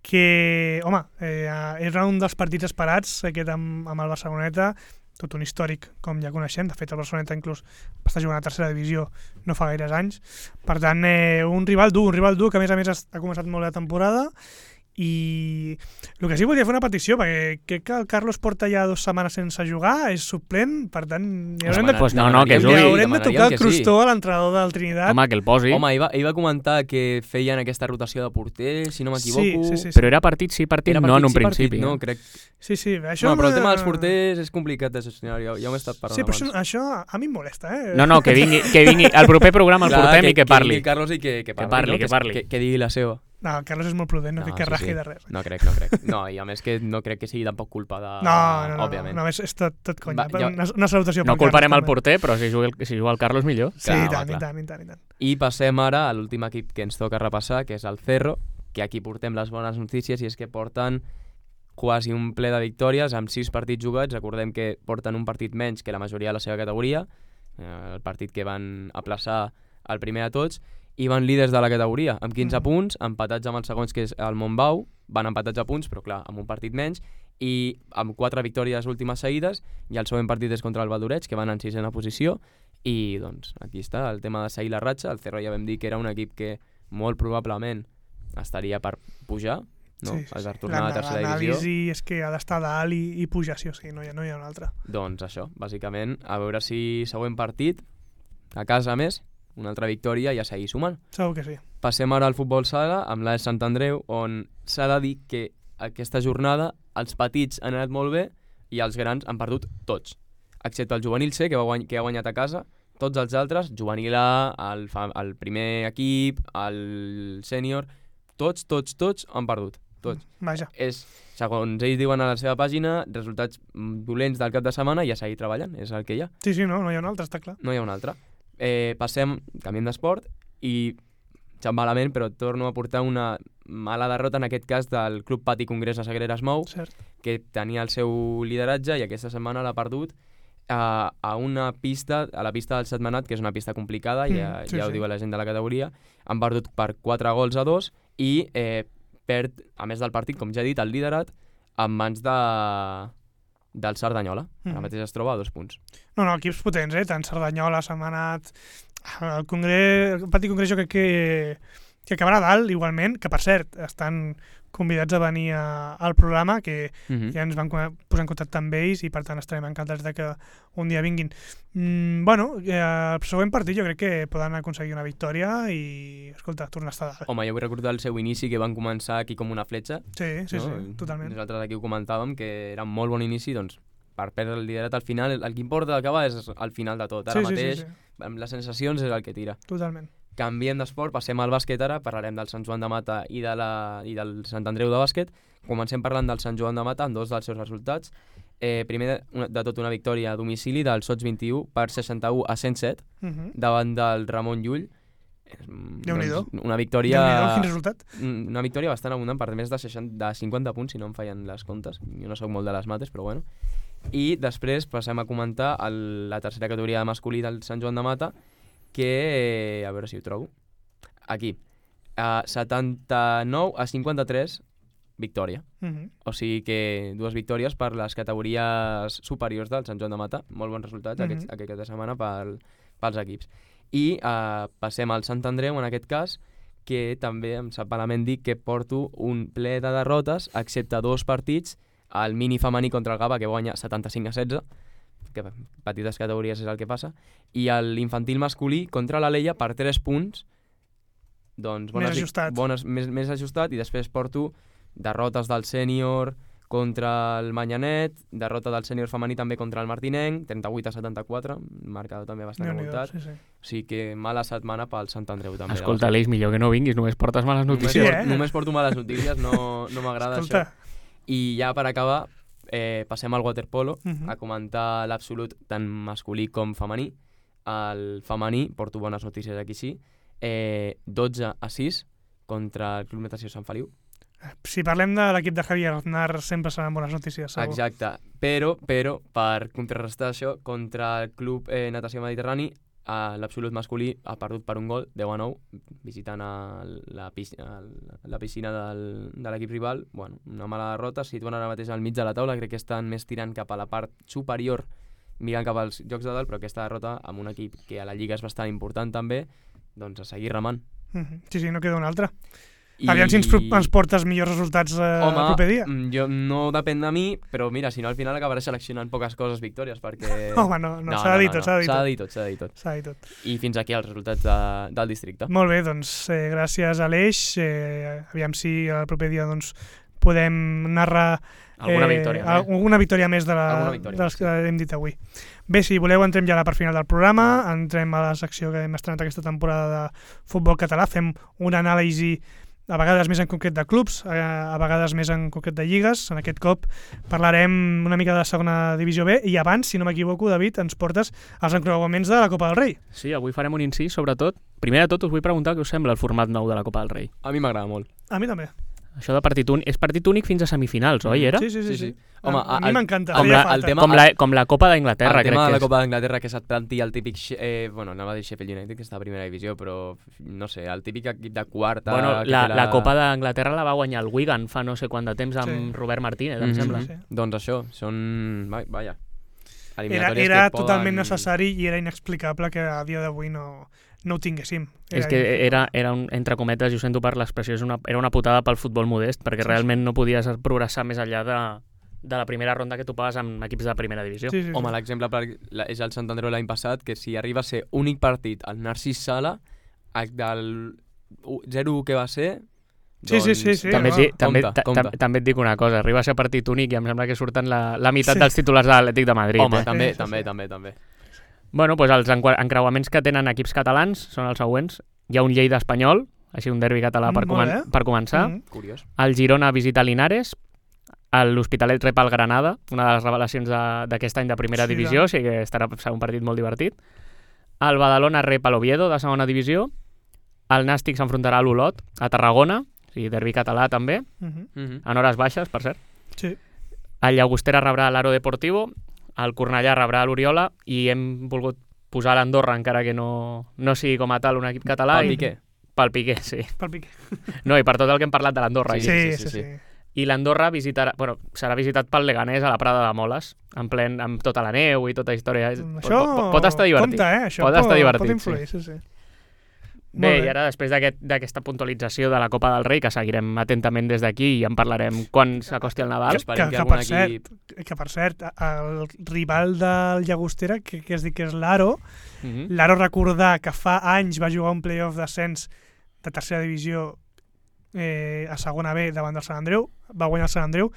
que, home, eh, era un dels partits esperats, aquest amb, amb el Barceloneta, tot un històric, com ja coneixem. De fet, el Barceloneta inclús va estar jugant a tercera divisió no fa gaires anys. Per tant, eh, un rival dur, un rival dur que a més a més ha començat molt la temporada. I el que sí volia fer una petició, perquè crec que el Carlos porta ja dues setmanes sense jugar, és suplent, per tant hi haurem de, pues no, no, que jugui, haurem de tocar el crostó sí. a l'entrenador del Trinidad. Home, que el posi. Home, ell va, ell va comentar que feien aquesta rotació de porter, si no m'equivoco. Sí, sí, sí, sí. Però era partit sí, partit, partit no en un sí, principi. Partit, no, crec... Sí, sí, això... Bueno, però el tema dels porters és complicat de gestionar, ja, ja ho he estat parlant sí, però abans. Això, això a mi em molesta, eh? No, no, que vingui, que vingui el proper programa el portem que, i que parli. Que vingui Carlos i que, que parli, que parli, no? que, parli. Que, que digui la seva. No, el Carlos és molt prudent, no, no crec que sí, rasgui sí. de res. No crec, no crec. No, i a més que no crec que sigui tampoc culpa de... No, no, no, òbviament. no, és, és tot, tot conya. Va, jo... una, una salutació no pel culparem Carlos, el porter, però si juga, el, si juga el Carlos millor. Sí, i tant, i tant, i tant, i tant. I passem ara a l'últim equip que ens toca repassar, que és el Cerro, que aquí portem les bones notícies i és que porten quasi un ple de victòries amb sis partits jugats. Recordem que porten un partit menys que la majoria de la seva categoria, el partit que van aplaçar el primer de tots, i van líders de la categoria, amb quinze mm. punts, empatats amb els segons, que és el Montbau, van empatats a punts, però clar, amb un partit menys, i amb quatre victòries últimes seguides, i el següent partit és contra el Valdoreig, que van en sisena posició, i doncs aquí està el tema de seguir la ratxa. El Cerro ja vam dir que era un equip que molt probablement estaria per pujar, no? Sí, sí, per tornar a la tercera divisió. L'anàlisi és que ha d'estar dalt i, i pujar, sí o sí, no hi ha, no hi ha un altre. Doncs això, bàsicament, a veure si següent partit, a casa més, una altra victòria i a seguir sumant. Segur que sí. Passem ara al futbol sala, amb l'A E S Sant Andreu, on s'ha de dir que aquesta jornada els petits han anat molt bé i els grans han perdut tots, excepte el juvenil C, que, va guany que ha guanyat a casa. Tots els altres, juvenil A, el, el primer equip, el sènior, tots, tots, tots han perdut. tots. Vaja. És, segons ells diuen a la seva pàgina, resultats dolents del cap de setmana i a seguir treballant, és el que hi ha. Sí, sí, no, no hi ha un altre, està clar. No hi ha un altre. Eh, passem, canviem d'esport i, xam malament, però torno a portar una mala derrota, en aquest cas del Club Pati Congrés de Sagreres Mou, Cert. que tenia el seu lideratge i aquesta setmana l'ha perdut a, a una pista, a la pista del Setmanat, que és una pista complicada, mm, ja, sí, ja ho sí. diu la gent de la categoria. Han perdut per quatre gols a dos i eh, perd, a més del partit, com ja he dit, el liderat en mans de, del Cerdanyola. Mm. Ara mateix es troba a dos punts. No, no, equips potents, eh? Tant Cerdanyola, Setmanat... El Congrés, el Pati Congrés jo crec que, que acabarà dalt, igualment, que per cert, estan convidats a venir a, al programa, que Mm-hmm. ja ens van posar en contacte amb ells i per tant estarem encantats de que un dia vinguin. Mm, bueno, eh, el següent partit jo crec que poden aconseguir una victòria i, escolta, tornar a estar dalt. Home, jo vull recordar el seu inici, que van començar aquí com una fletxa. Sí, sí, no? sí, totalment. Nosaltres aquí ho comentàvem, que era un molt bon inici, doncs, per perdre el liderat al final, el, el que importa acabar és al final de tot. Ara Sí, sí, mateix, sí, sí. amb les sensacions és el que tira. Totalment. Canviem d'esport, passem al bàsquet ara, parlarem del Sant Joan de Mata i, de la, i del Sant Andreu de bàsquet. Comencem parlant del Sant Joan de Mata amb dos dels seus resultats. Eh, primer de, una, de tot una victòria a domicili del Sots vint-i-u per seixanta-u a cent set Uh-huh. davant del Ramon Llull. Déu-n'hi-do. Doncs, una victòria... Déu-n'hi-do, quin resultat. Una victòria bastant abundant per més de, seixanta, de cinquanta punts, si no em fallen les comptes. Jo no sóc molt de les mates, però bueno. I després passem a comentar el, la tercera categoria de masculí del Sant Joan de Mata, que, eh, a veure si ho trobo, aquí, uh, setanta-nou a cinquanta-tres, victòria. Uh-huh. O sigui que dues victòries per les categories superiors del Sant Joan de Mata. Molt bons resultats Mhm. aquests, aquesta setmana pel, pels equips. I uh, passem al Sant Andreu, en aquest cas, que també em sap malament dir que porto un ple de derrotes, excepte dos partits, el mini femení contra el Gava, que guanya setanta-cinc a setze, que petites categories és el que passa, i l'infantil masculí contra l'Aleia per tres punts, doncs bones, Més ajustat. bones, més, més ajustat, i després porto derrotes del sènior contra el Manyanet, derrota del sènior femení també contra el Martinenc, trenta-vuit a setanta-quatre, marcador també bastant Déu-n'hi-do, avoltat. sí, sí. O sigui que mala setmana pel Sant Andreu també. Escolta, Aleix, millor que no vinguis, només portes males Només, notícies. Sí, por, eh? només porto males notícies, no, no m'agrada això. Escolta. I ja per acabar, eh, passem al waterpolo, Mhm. a comentar l'absolut tant masculí com femení. El femení, porto bones notícies aquí sí, eh, dotze a sis contra el Club Natació Sant Feliu. Si parlem de l'equip de Javier Aznar, sempre seran bones notícies, segur. Exacte, però, però per contrarrestar això, contra el Club eh, Natació Mediterrani, eh, l'absolut masculí ha perdut per un gol, deu a nou, visitant a la, piscina, la piscina del, de l'equip rival. Bueno, una mala derrota, situen ara mateix al mig de la taula, crec que estan més tirant cap a la part superior, mirant cap als jocs de dalt, però aquesta derrota amb un equip que a la Lliga és bastant important també, doncs a seguir remant. Mhm. Sí, sí, no queda un altre. I... Aviam si ens, pro- ens portes millors resultats eh, Home, el proper dia. mm, jo, no depèn de mi, però mira, si no al final acabaré seleccionant poques coses victòries, perquè... Home, no, no, s'ha de dir tot, s'ha de dir S'ha tot. de dir tot, s'ha de dir tot. S'ha de dir tot. I fins aquí els resultats de, del districte. Molt bé, doncs eh, gràcies Aleix. Eh, aviam si el proper dia doncs, podem narrar Alguna eh, victòria. al- alguna victòria més de, la, Alguna victòria, de les sí. que hem dit avui. Bé, si voleu entrem ja a la part final del programa, entrem a la secció que hem estrenat aquesta temporada de futbol català, fem una anàlisi a vegades més en concret de clubs, eh, a vegades més en concret de lligues. En aquest cop parlarem una mica de la segona divisió B i abans, si no m'equivoco, David, ens portes els encreuaments de la Copa del Rei. Sí, avui farem un incís, sobretot. Primer de tot us vull preguntar què us sembla el format nou de la Copa del Rei. A mi m'agrada molt. A mi també. Això de partit únic, és partit únic fins a semifinals, oi, era? Sí, sí, sí. Sí, sí. sí. Home, a, a mi el- m'encanta. com feia la- falta. el tema- Com la, com la Copa d'Anglaterra, el crec tema de que la és. Copa d'Anglaterra, que se't planti el típic... Eh, bueno, anava a dir Sheffield United, que està a primera divisió, però no sé, el típic equip de quarta... Bueno, que la, té la Copa d'Anglaterra la va guanyar el Wigan fa no sé quant de temps amb Sí. Robert Martínez, em Mhm. sembla. Sí. Doncs això, són... va- Vaja. Era, eliminatòries era que totalment poden- necessari i era inexplicable que a dia d'avui no, no ho tinguéssim. És que era, era un, entre cometes, i ho sento per l'expressió, és una, era una putada pel futbol modest, perquè Sí, realment no podies progressar més enllà de, de la primera ronda que topaves amb equips de primera divisió. Sí, sí, sí. Home, l'exemple per- la- és el Sant Andreu l'any passat, que si arriba a ser únic partit al Narcís Sala, el del u- zero u que va ser... Sí, sí, doncs, sí, sí, també, et no, dic, també, compte, ta- compte. tam- també et dic una cosa, arriba a ser partit únic i em sembla que surten la, la meitat Sí. dels titulars de l'Atlètic de Madrid. Home, eh? també, Sí, sí, també, sí. també, també. Bueno, doncs els encua- encreuaments que tenen equips catalans són els següents. Hi ha un Lleida Espanyol, així un derbi català per, Mm, molt comen bé. per començar. Mhm. Curiós. El Girona visita Linares, l'Hospitalet rep el Granada, una de les revelacions de- d'aquest any de primera Sí, divisió, doncs. o sigui que estarà serà un partit molt divertit. El Badalona rep l'Oviedo, de segona divisió. El Nàstic s'enfrontarà a l'Olot, a Tarragona, o sigui, derbi català també, Mhm. Mhm. en hores baixes, per cert. Sí. El Llagostera rebrà l'Aro Deportivo, el Cornellà rebrà l'Oriola i hem volgut posar l'Andorra, encara que no, no sigui com a tal un equip català. Pel i- Piqué. Pel Piqué, sí. Pel Piqué. No, i per tot el que hem parlat de l'Andorra. Sí, aquí. sí, sí. sí, sí. I l'Andorra visitarà, bueno, serà visitat pel Leganés a la Prada de Moles, en plen, amb tota la neu i tota història. Això pot, pot estar divertit. compte, eh? Això Pot estar divertit, pot influir, sí. sí, sí. Bé, Molt bé. i ara després d'aquest- d'aquesta puntualització de la Copa del Rei, que seguirem atentament des d'aquí i en parlarem quan s'acosti el Nadal. Que esperem que- que, que algun per cert, equip... Que, per cert, el rival del Llagostera, que, que es diu que és l'Aro, Mhm. l'Aro recordar que fa anys va jugar un playoff d'ascens de tercera divisió eh, a segona B davant del Sant Andreu, va guanyar el Sant Andreu,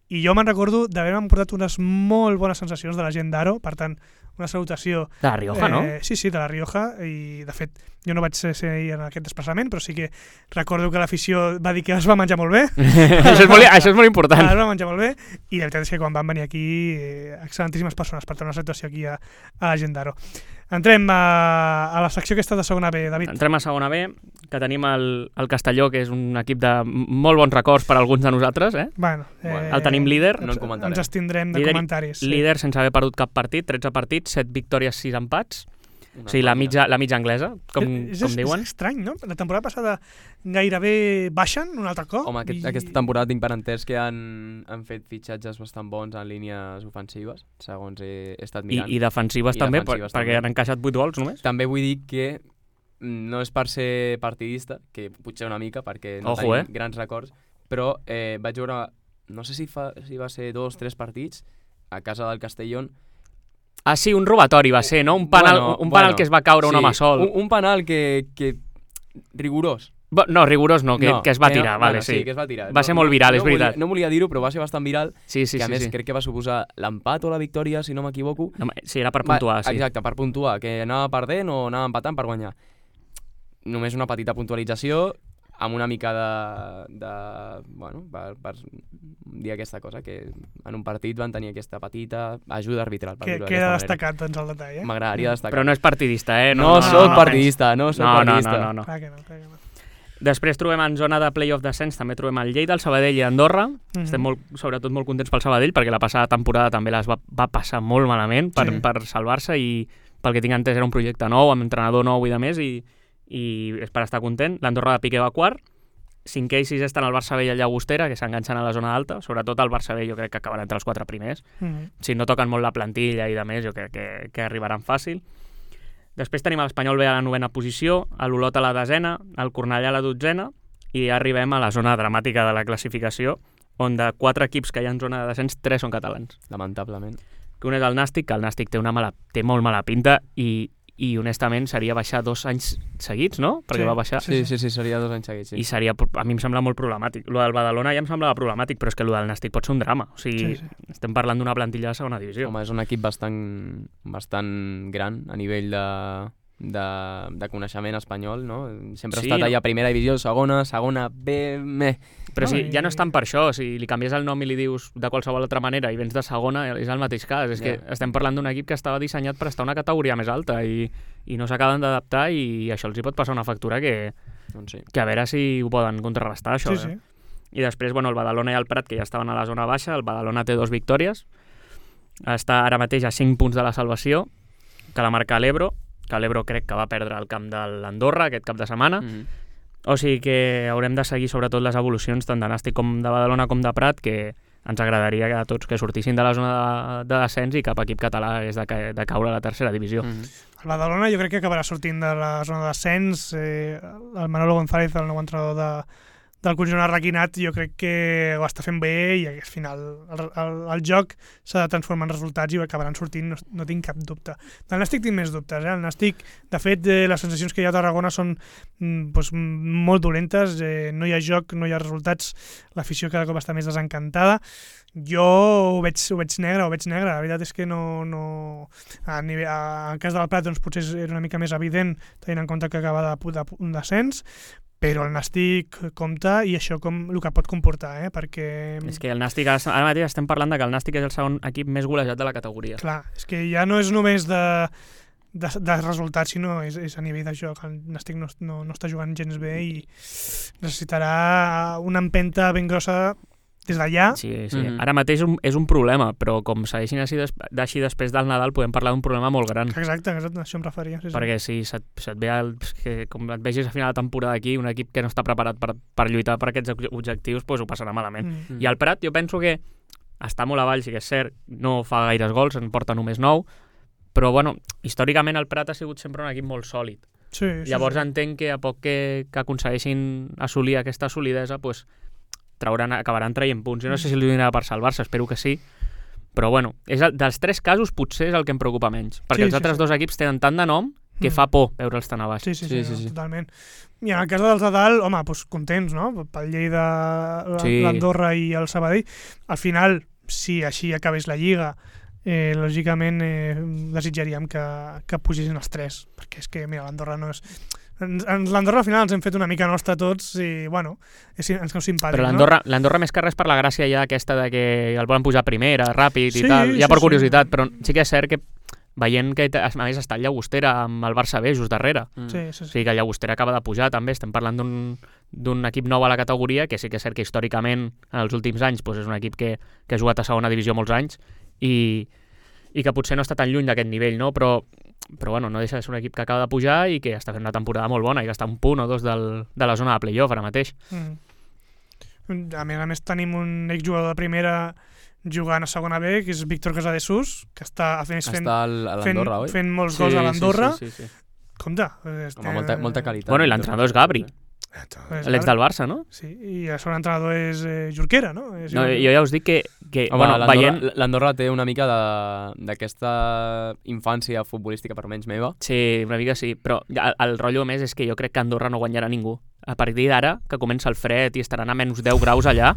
i jo me'n recordo d'haver-me portat unes molt bones sensacions de la gent d'Aro, per tant, una salutació. De la Rioja, no? Eh, sí, sí, de la Rioja, i de fet jo no vaig ser, ser ahir en aquest desplaçament, però sí que recordo que l'afició va dir que es va menjar molt bé. això, és molt, això és molt important. Es va menjar molt bé, i la veritat és que quan van venir aquí, eh, excel·lentíssimes persones, per tant, una situació aquí a, a la gent d'Aro. Entrem a, a la secció aquesta de segona B, David. Entrem a segona B, que tenim el, el Castelló, que és un equip de molt bons records per a alguns de nosaltres. Eh? Bueno, Bueno, el tenim líder, ens- no en comentarem. Ens estindrem de Líder- comentaris. sí. Líder sense haver perdut cap partit, tretze partits, set victòries, sis empats. Una O sigui, la màquina. mitja, la mitja anglesa, com, és, com és, diuen. És estrany, no? La temporada passada gairebé baixen un altre cop. Home, aquest, i- aquesta temporada tinc per entès que han, han fet fitxatges bastant bons en línies ofensives, segons he, he estat I, mirant. I defensives I també, defensives per, perquè també. han encaixat vuit gols només. També vull dir que mm, no és per ser partidista, que potser una mica, perquè no Ojo, tenim eh? grans records, però eh, vaig veure, no sé si, fa, si va ser dos, tres partits, a casa del Castellón. Ah, sí, un robatori va ser, no? Un penal, Bueno, un penal bueno, que es va caure un sí, home sol. Un, un penal que, que rigorós. Bo- No, rigorós no, que, no, que es va no, tirar, vale, bueno, sí. que es va tirar. Va ser molt viral, no és veritat. Volia, no volia dir-ho, però va ser bastant viral, Sí, sí, que a sí. més sí. crec que va suposar l'empat o la victòria, si no m'equivoco. No, sí, era per puntuar, Va, sí. Exacte, per puntuar, que anava perdent o anava empatant per guanyar. Només una petita puntualització amb una mica de... de bueno, per, per dir aquesta cosa, que en un partit van tenir aquesta petita ajuda arbitral. Per Que dir-ho queda d'aquesta destacat, doncs, el detall, eh? manera. M'agradaria destacar. Però no és partidista, eh? No, no, soc no, partidista, no soc No, no, partidista. no, no, no. Clar que no, clar que no. Després trobem en zona de playoff descens, també trobem el Lleida, el Sabadell i Andorra. Mhm. Estem molt, sobretot molt contents pel Sabadell, perquè la passada temporada també les va, va passar molt malament per, Sí. per salvar-se i pel que tinc entès era un projecte nou, amb entrenador nou i de més, i, i és per estar content. L'Andorra de Piqué va quart, cinquè i sisè estan el Barça B i el Llagostera, que s'enganxen a la zona alta, sobretot el Barça B jo crec que acabaran entre els quatre primers. Mhm. Si no toquen molt la plantilla i de més, jo crec que, que arribaran fàcil. Després tenim l'Espanyol B a la novena posició, l'Olot a la desena, el Cornellà a la dotzena, i ja arribem a la zona dramàtica de la classificació, on de quatre equips que hi ha en zona de descens, tres són catalans. Lamentablement. Que un és el Nàstic, que el Nàstic té, una mala, té molt mala pinta, i, i honestament seria baixar dos anys seguits, no? Perquè Sí. va baixar... Sí, sí, sí, seria dos anys seguits. Sí. I seria, a mi em sembla molt problemàtic. Lo del Badalona ja em semblava problemàtic, però és que lo del Nàstic pot ser un drama. O sigui, Sí, sí. estem parlant d'una plantilla de segona divisió. Home, és un equip bastant, bastant gran a nivell de, de, de coneixement espanyol, no? Sempre Sí, ha estat no? allà a primera divisió, segona, segona, B, me... Però No, si, i- ja no és tant per això, si li canvies el nom i li dius de qualsevol altra manera i vens de segona, és el mateix cas. És que Ja. estem parlant d'un equip que estava dissenyat per estar a una categoria més alta i, i no s'acaben d'adaptar i això els hi pot passar una factura que, Doncs sí. que a veure si ho poden contrarrestar, això. Sí, sí. Eh? I després, bueno, el Badalona i el Prat, que ja estaven a la zona baixa, el Badalona té dos victòries, està ara mateix a cinc punts de la salvació, que la marca l'Ebro, que l'Ebro crec que va perdre el camp de l'Andorra aquest cap de setmana. Mm -hmm. O sigui que haurem de seguir sobretot les evolucions tant de Nàstic com de Badalona com de Prat, que ens agradaria que a tots que sortissin de la zona de, de descens i cap equip català hagués de, ca de caure a la tercera divisió. Mm -hmm. El Badalona jo crec que acabarà sortint de la zona de descens. Eh, el Manolo González, el nou entrenador de, del conjunt arraquinat, jo crec que ho està fent bé i al final el, el, el joc s'ha de transformar en resultats i acabaran sortint, no, no tinc cap dubte. Del Nàstic tinc més dubtes. Eh? El Nàstic, de fet, eh, les sensacions que hi ha a Tarragona són mm, doncs, molt dolentes, eh, no hi ha joc, no hi ha resultats, l'afició cada cop està més desencantada. Jo ho veig, ho veig negre, ho veig negre, la veritat és que no... no... A nivell, a, en el cas del Prat doncs, potser era una mica més evident, tenint en compte que acaba de, de, un descens, però el Nàstic compta i això com el que pot comportar, eh? Perquè... És que el Nàstic, ara mateix estem parlant de que el Nàstic és el segon equip més golejat de la categoria. Clar, és que ja no és només de, de, de resultats, sinó és, és a nivell de joc. El Nàstic no, no, no està jugant gens bé i necessitarà una empenta ben grossa des d'allà. Sí, sí. Mm-hmm. Ara mateix un, és un problema, però com segueixin així, des, així després del Nadal podem parlar d'un problema molt gran. Exacte, exacte, això em referia. Sí, sí. Perquè si se't, se't ve el, que, com et vegis a final de temporada aquí, un equip que no està preparat per, per lluitar per aquests objectius, doncs ho passarà malament. Mm. I el Prat jo penso que està molt avall, sí que és cert, no fa gaires gols, en porta només nou, però bueno, històricament el Prat ha sigut sempre un equip molt sòlid. Sí, sí, Llavors sí. entenc que a poc que, que aconsegueixin assolir aquesta solidesa, doncs trauran, acabaran traient punts. Jo no sé si li donarà per salvar-se, espero que sí, però bueno, és el, dels tres casos potser és el que em preocupa menys, perquè Sí, els sí, altres sí. dos equips tenen tant de nom que Mm. fa por veure'ls tan a baix. Sí, sí, Sí, sí, sí, no, sí. totalment. I en el cas dels de dalt, home, doncs contents, no? Pel Lleida, la- Sí. l'Andorra i el Sabadell. Al final, si així acabés la Lliga, eh, lògicament eh, desitjaríem que, que pugessin els tres, perquè és que, mira, l'Andorra no és... Ens, ens, L'Andorra al final ens hem fet una mica nostra tots i, bueno, és, ens cau simpàtic, Però l'Andorra, l'Andorra més que res per la gràcia ja aquesta de que el volen pujar a primera, ràpid i Sí, tal, ja sí, per sí. curiositat, però sí que és cert que veient que a més està el Llagostera amb el Barça B just darrere, Mm. no? Sí, sí, o sí. sigui que el Llagostera acaba de pujar també, estem parlant d'un d'un equip nou a la categoria, que sí que és cert que històricament en els últims anys doncs és un equip que, que ha jugat a segona divisió molts anys i, i que potser no està tan lluny d'aquest nivell, no? Però, però bueno, no deixa de ser un equip que acaba de pujar i que està fent una temporada molt bona i que està a un punt o dos del, de la zona de playoff ara mateix. Mm. A més a més tenim un exjugador de primera jugant a segona B, que és Víctor Casadesús, que està a més fent, Està al- a fent, l'Andorra, oi? fent molts gols a l'Andorra. Sí, sí, sí, sí. Compte. Este... Home, molta, molta qualitat. Bueno, i l'entrenador és Gabri, És l'ex del Barça, no? Sí, i el segon entrenador és eh, Jorquera, no? És No, jo ja us dic que, que Home, bueno, l'Andorra, veient... l'Andorra té una mica de- d'aquesta infància futbolística, per menys meva. Sí, una mica sí, però el, el rotllo més és que jo crec que Andorra no guanyarà ningú. A partir d'ara, que comença el fred i estaran a menys deu graus allà,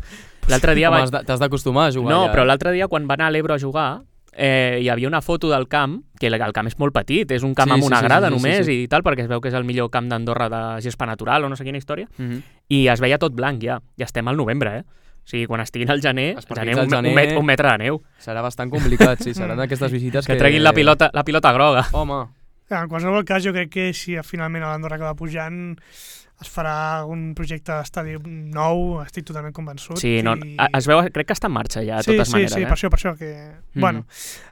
l'altre dia Home, vaig... has de- t'has d'acostumar a jugar No, allà. però l'altre dia quan va anar a l'Ebro a jugar eh, hi havia una foto del camp, que el, el camp és molt petit, és un camp Sí, amb sí, una sí, grada sí, sí, només sí. i tal, perquè es veu que és el millor camp d'Andorra de gespa natural o no sé quina història, Mhm. i es veia tot blanc ja, ja estem al novembre, eh? O sigui, quan estiguin al gener, Els gener, partits un, al gener- un, met, un metre de neu, Serà bastant complicat, sí, seran aquestes visites que que... treguin la pilota, la pilota groga. Home, En qualsevol cas, jo crec que si finalment l'Andorra acaba pujant, es farà un projecte d'estadi nou, estic totalment convençut. Sí, no, i... es veu, crec que està en marxa ja, de sí, totes sí, maneres. sí, eh? per això, per això que... Mhm. Bueno,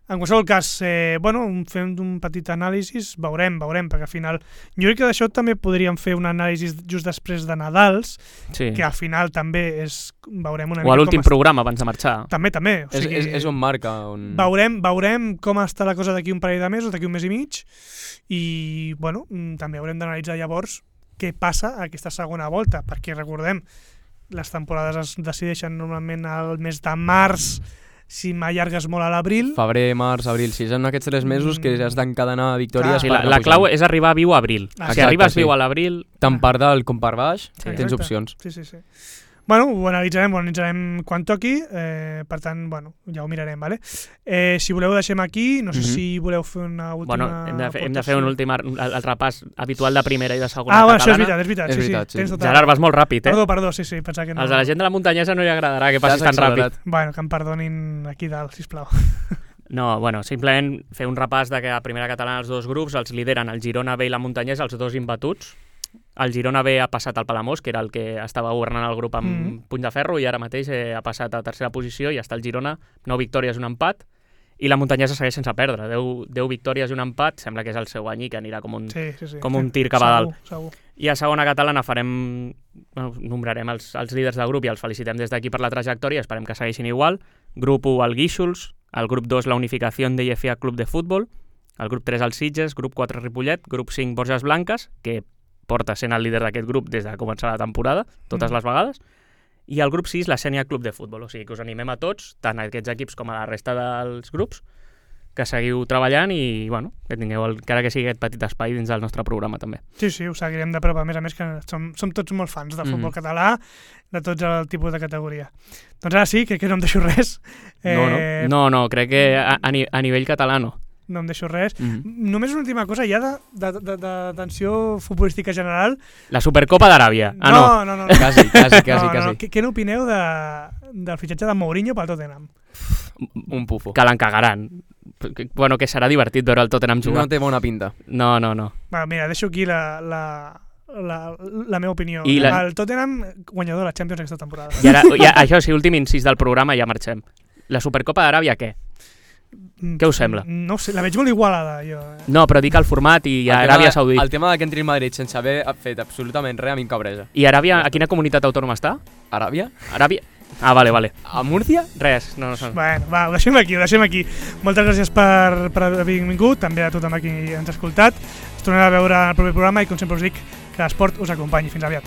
en qualsevol cas, eh, bueno, fem un petit anàlisi, veurem, veurem, perquè al final... Jo crec que d'això també podríem fer un anàlisi just després de Nadals, Sí. que al final també és... Veurem una O a l'últim com està- programa abans de marxar. També, també. O és, sigui, és, és on marca. On... veurem, veurem com està la cosa d'aquí un parell de mesos, d'aquí un mes i mig, i bueno, mm, també haurem d'analitzar llavors què passa a aquesta segona volta, perquè recordem, les temporades es decideixen normalment al mes de març, si m'allargues molt a l'abril. Febrer, març, abril, sí, són aquests tres mesos que has d'encadenar victòries. Clar. Sí, per la, anar la pujant. clau és arribar viu a abril. Ah, si exacte, arribes sí. viu a l'abril... Tant per dalt com per baix, Sí, tens exacte. opcions. Sí, sí, sí. Bueno, ho analitzarem, ho analitzarem quan toqui, eh, per tant, bueno, ja ho mirarem, vale? Eh, si voleu deixem aquí, no sé Mhm. si voleu fer una última... Bueno, hem de, fer, hem de fer aportació. un últim ar- el, el repàs habitual de primera i de segona Ah, bueno, això és catalana. veritat, és veritat. És sí, veritat, sí, sí. tens tota... Gerard, vas molt ràpid, eh? Perdó, perdó, sí, sí, pensava que no. Els de la gent de la muntanyesa no li agradarà que passis T'has tan ràpid. accelerat. Bueno, que em perdonin aquí dalt, sisplau. No, bueno, simplement fer un repàs de que a primera catalana els dos grups els lideren el Girona B i la muntanyesa, els dos imbatuts. El Girona B ha passat al Palamós, que era el que estava governant el grup amb Mhm. puny de ferro, i ara mateix eh, ha passat a tercera posició i està el Girona, nou victòries, un empat, i la muntanyesa segueix sense perdre, deu, deu victòries i un empat, sembla que és el seu any i que anirà com un, Sí, sí, sí. com un tir cap a dalt. Segur, segur. I a segona catalana farem, bueno, nombrarem els, els líders del grup i els felicitem des d'aquí per la trajectòria, esperem que segueixin igual. Grup u, el Guíxols, el grup dos, la Unificació de I F A Club de Futbol, el grup tres, el Sitges, grup quatre, Ripollet, grup cinc, Borges Blanques, que porta sent el líder d'aquest grup des de començar la temporada, totes Mm. les vegades, i el grup sis, la Sènia Club de Futbol, o sigui que us animem a tots, tant a aquests equips com a la resta dels grups, que seguiu treballant i, bueno, que tingueu el, encara que sigui aquest petit espai dins del nostre programa també. Sí, sí, ho seguirem de prop. A més a més que som, som tots molt fans del futbol Mhm. català, de tots el tipus de categoria. Doncs ara sí, crec que no em deixo res. No, no. Eh, No, no, crec que a, a, ni, a nivell català no. no em deixo res. Mm. Només una última cosa, ja d'atenció futbolística general. La Supercopa d'Aràbia. Ah, no, no. no, no. no. Quasi, quasi, quasi, no, no, quasi. no. Què, què n'opineu de, del fitxatge de Mourinho pel Tottenham? Un pufo. Que l'encagaran. Bueno, que serà divertit veure el Tottenham jugar. No té bona pinta. No, no, no. Va, mira, deixo aquí la, la, la, la meva opinió. I la... El Tottenham guanyador de la Champions aquesta temporada. I ara, ja, això sí, últim incís del programa, ja marxem. La Supercopa d'Aràbia, què? Què us sembla? No ho sé, la veig molt igualada, jo. No, però dic el format i El Aràbia tema, Saudita. el tema de que entri el Madrid sense haver fet absolutament res a mi em cabresa. I Aràbia, a quina comunitat autònoma està? Aràbia? Aràbia? Ah, vale, vale. A Múrcia? Res, no, no. Bueno, va, ho deixem aquí, ho deixem aquí. Moltes gràcies per, per haver vingut, també a tothom aquí ens ha escoltat. Ens tornarem a veure en el proper programa i, com sempre us dic, que l'esport us acompanyi. Fins aviat.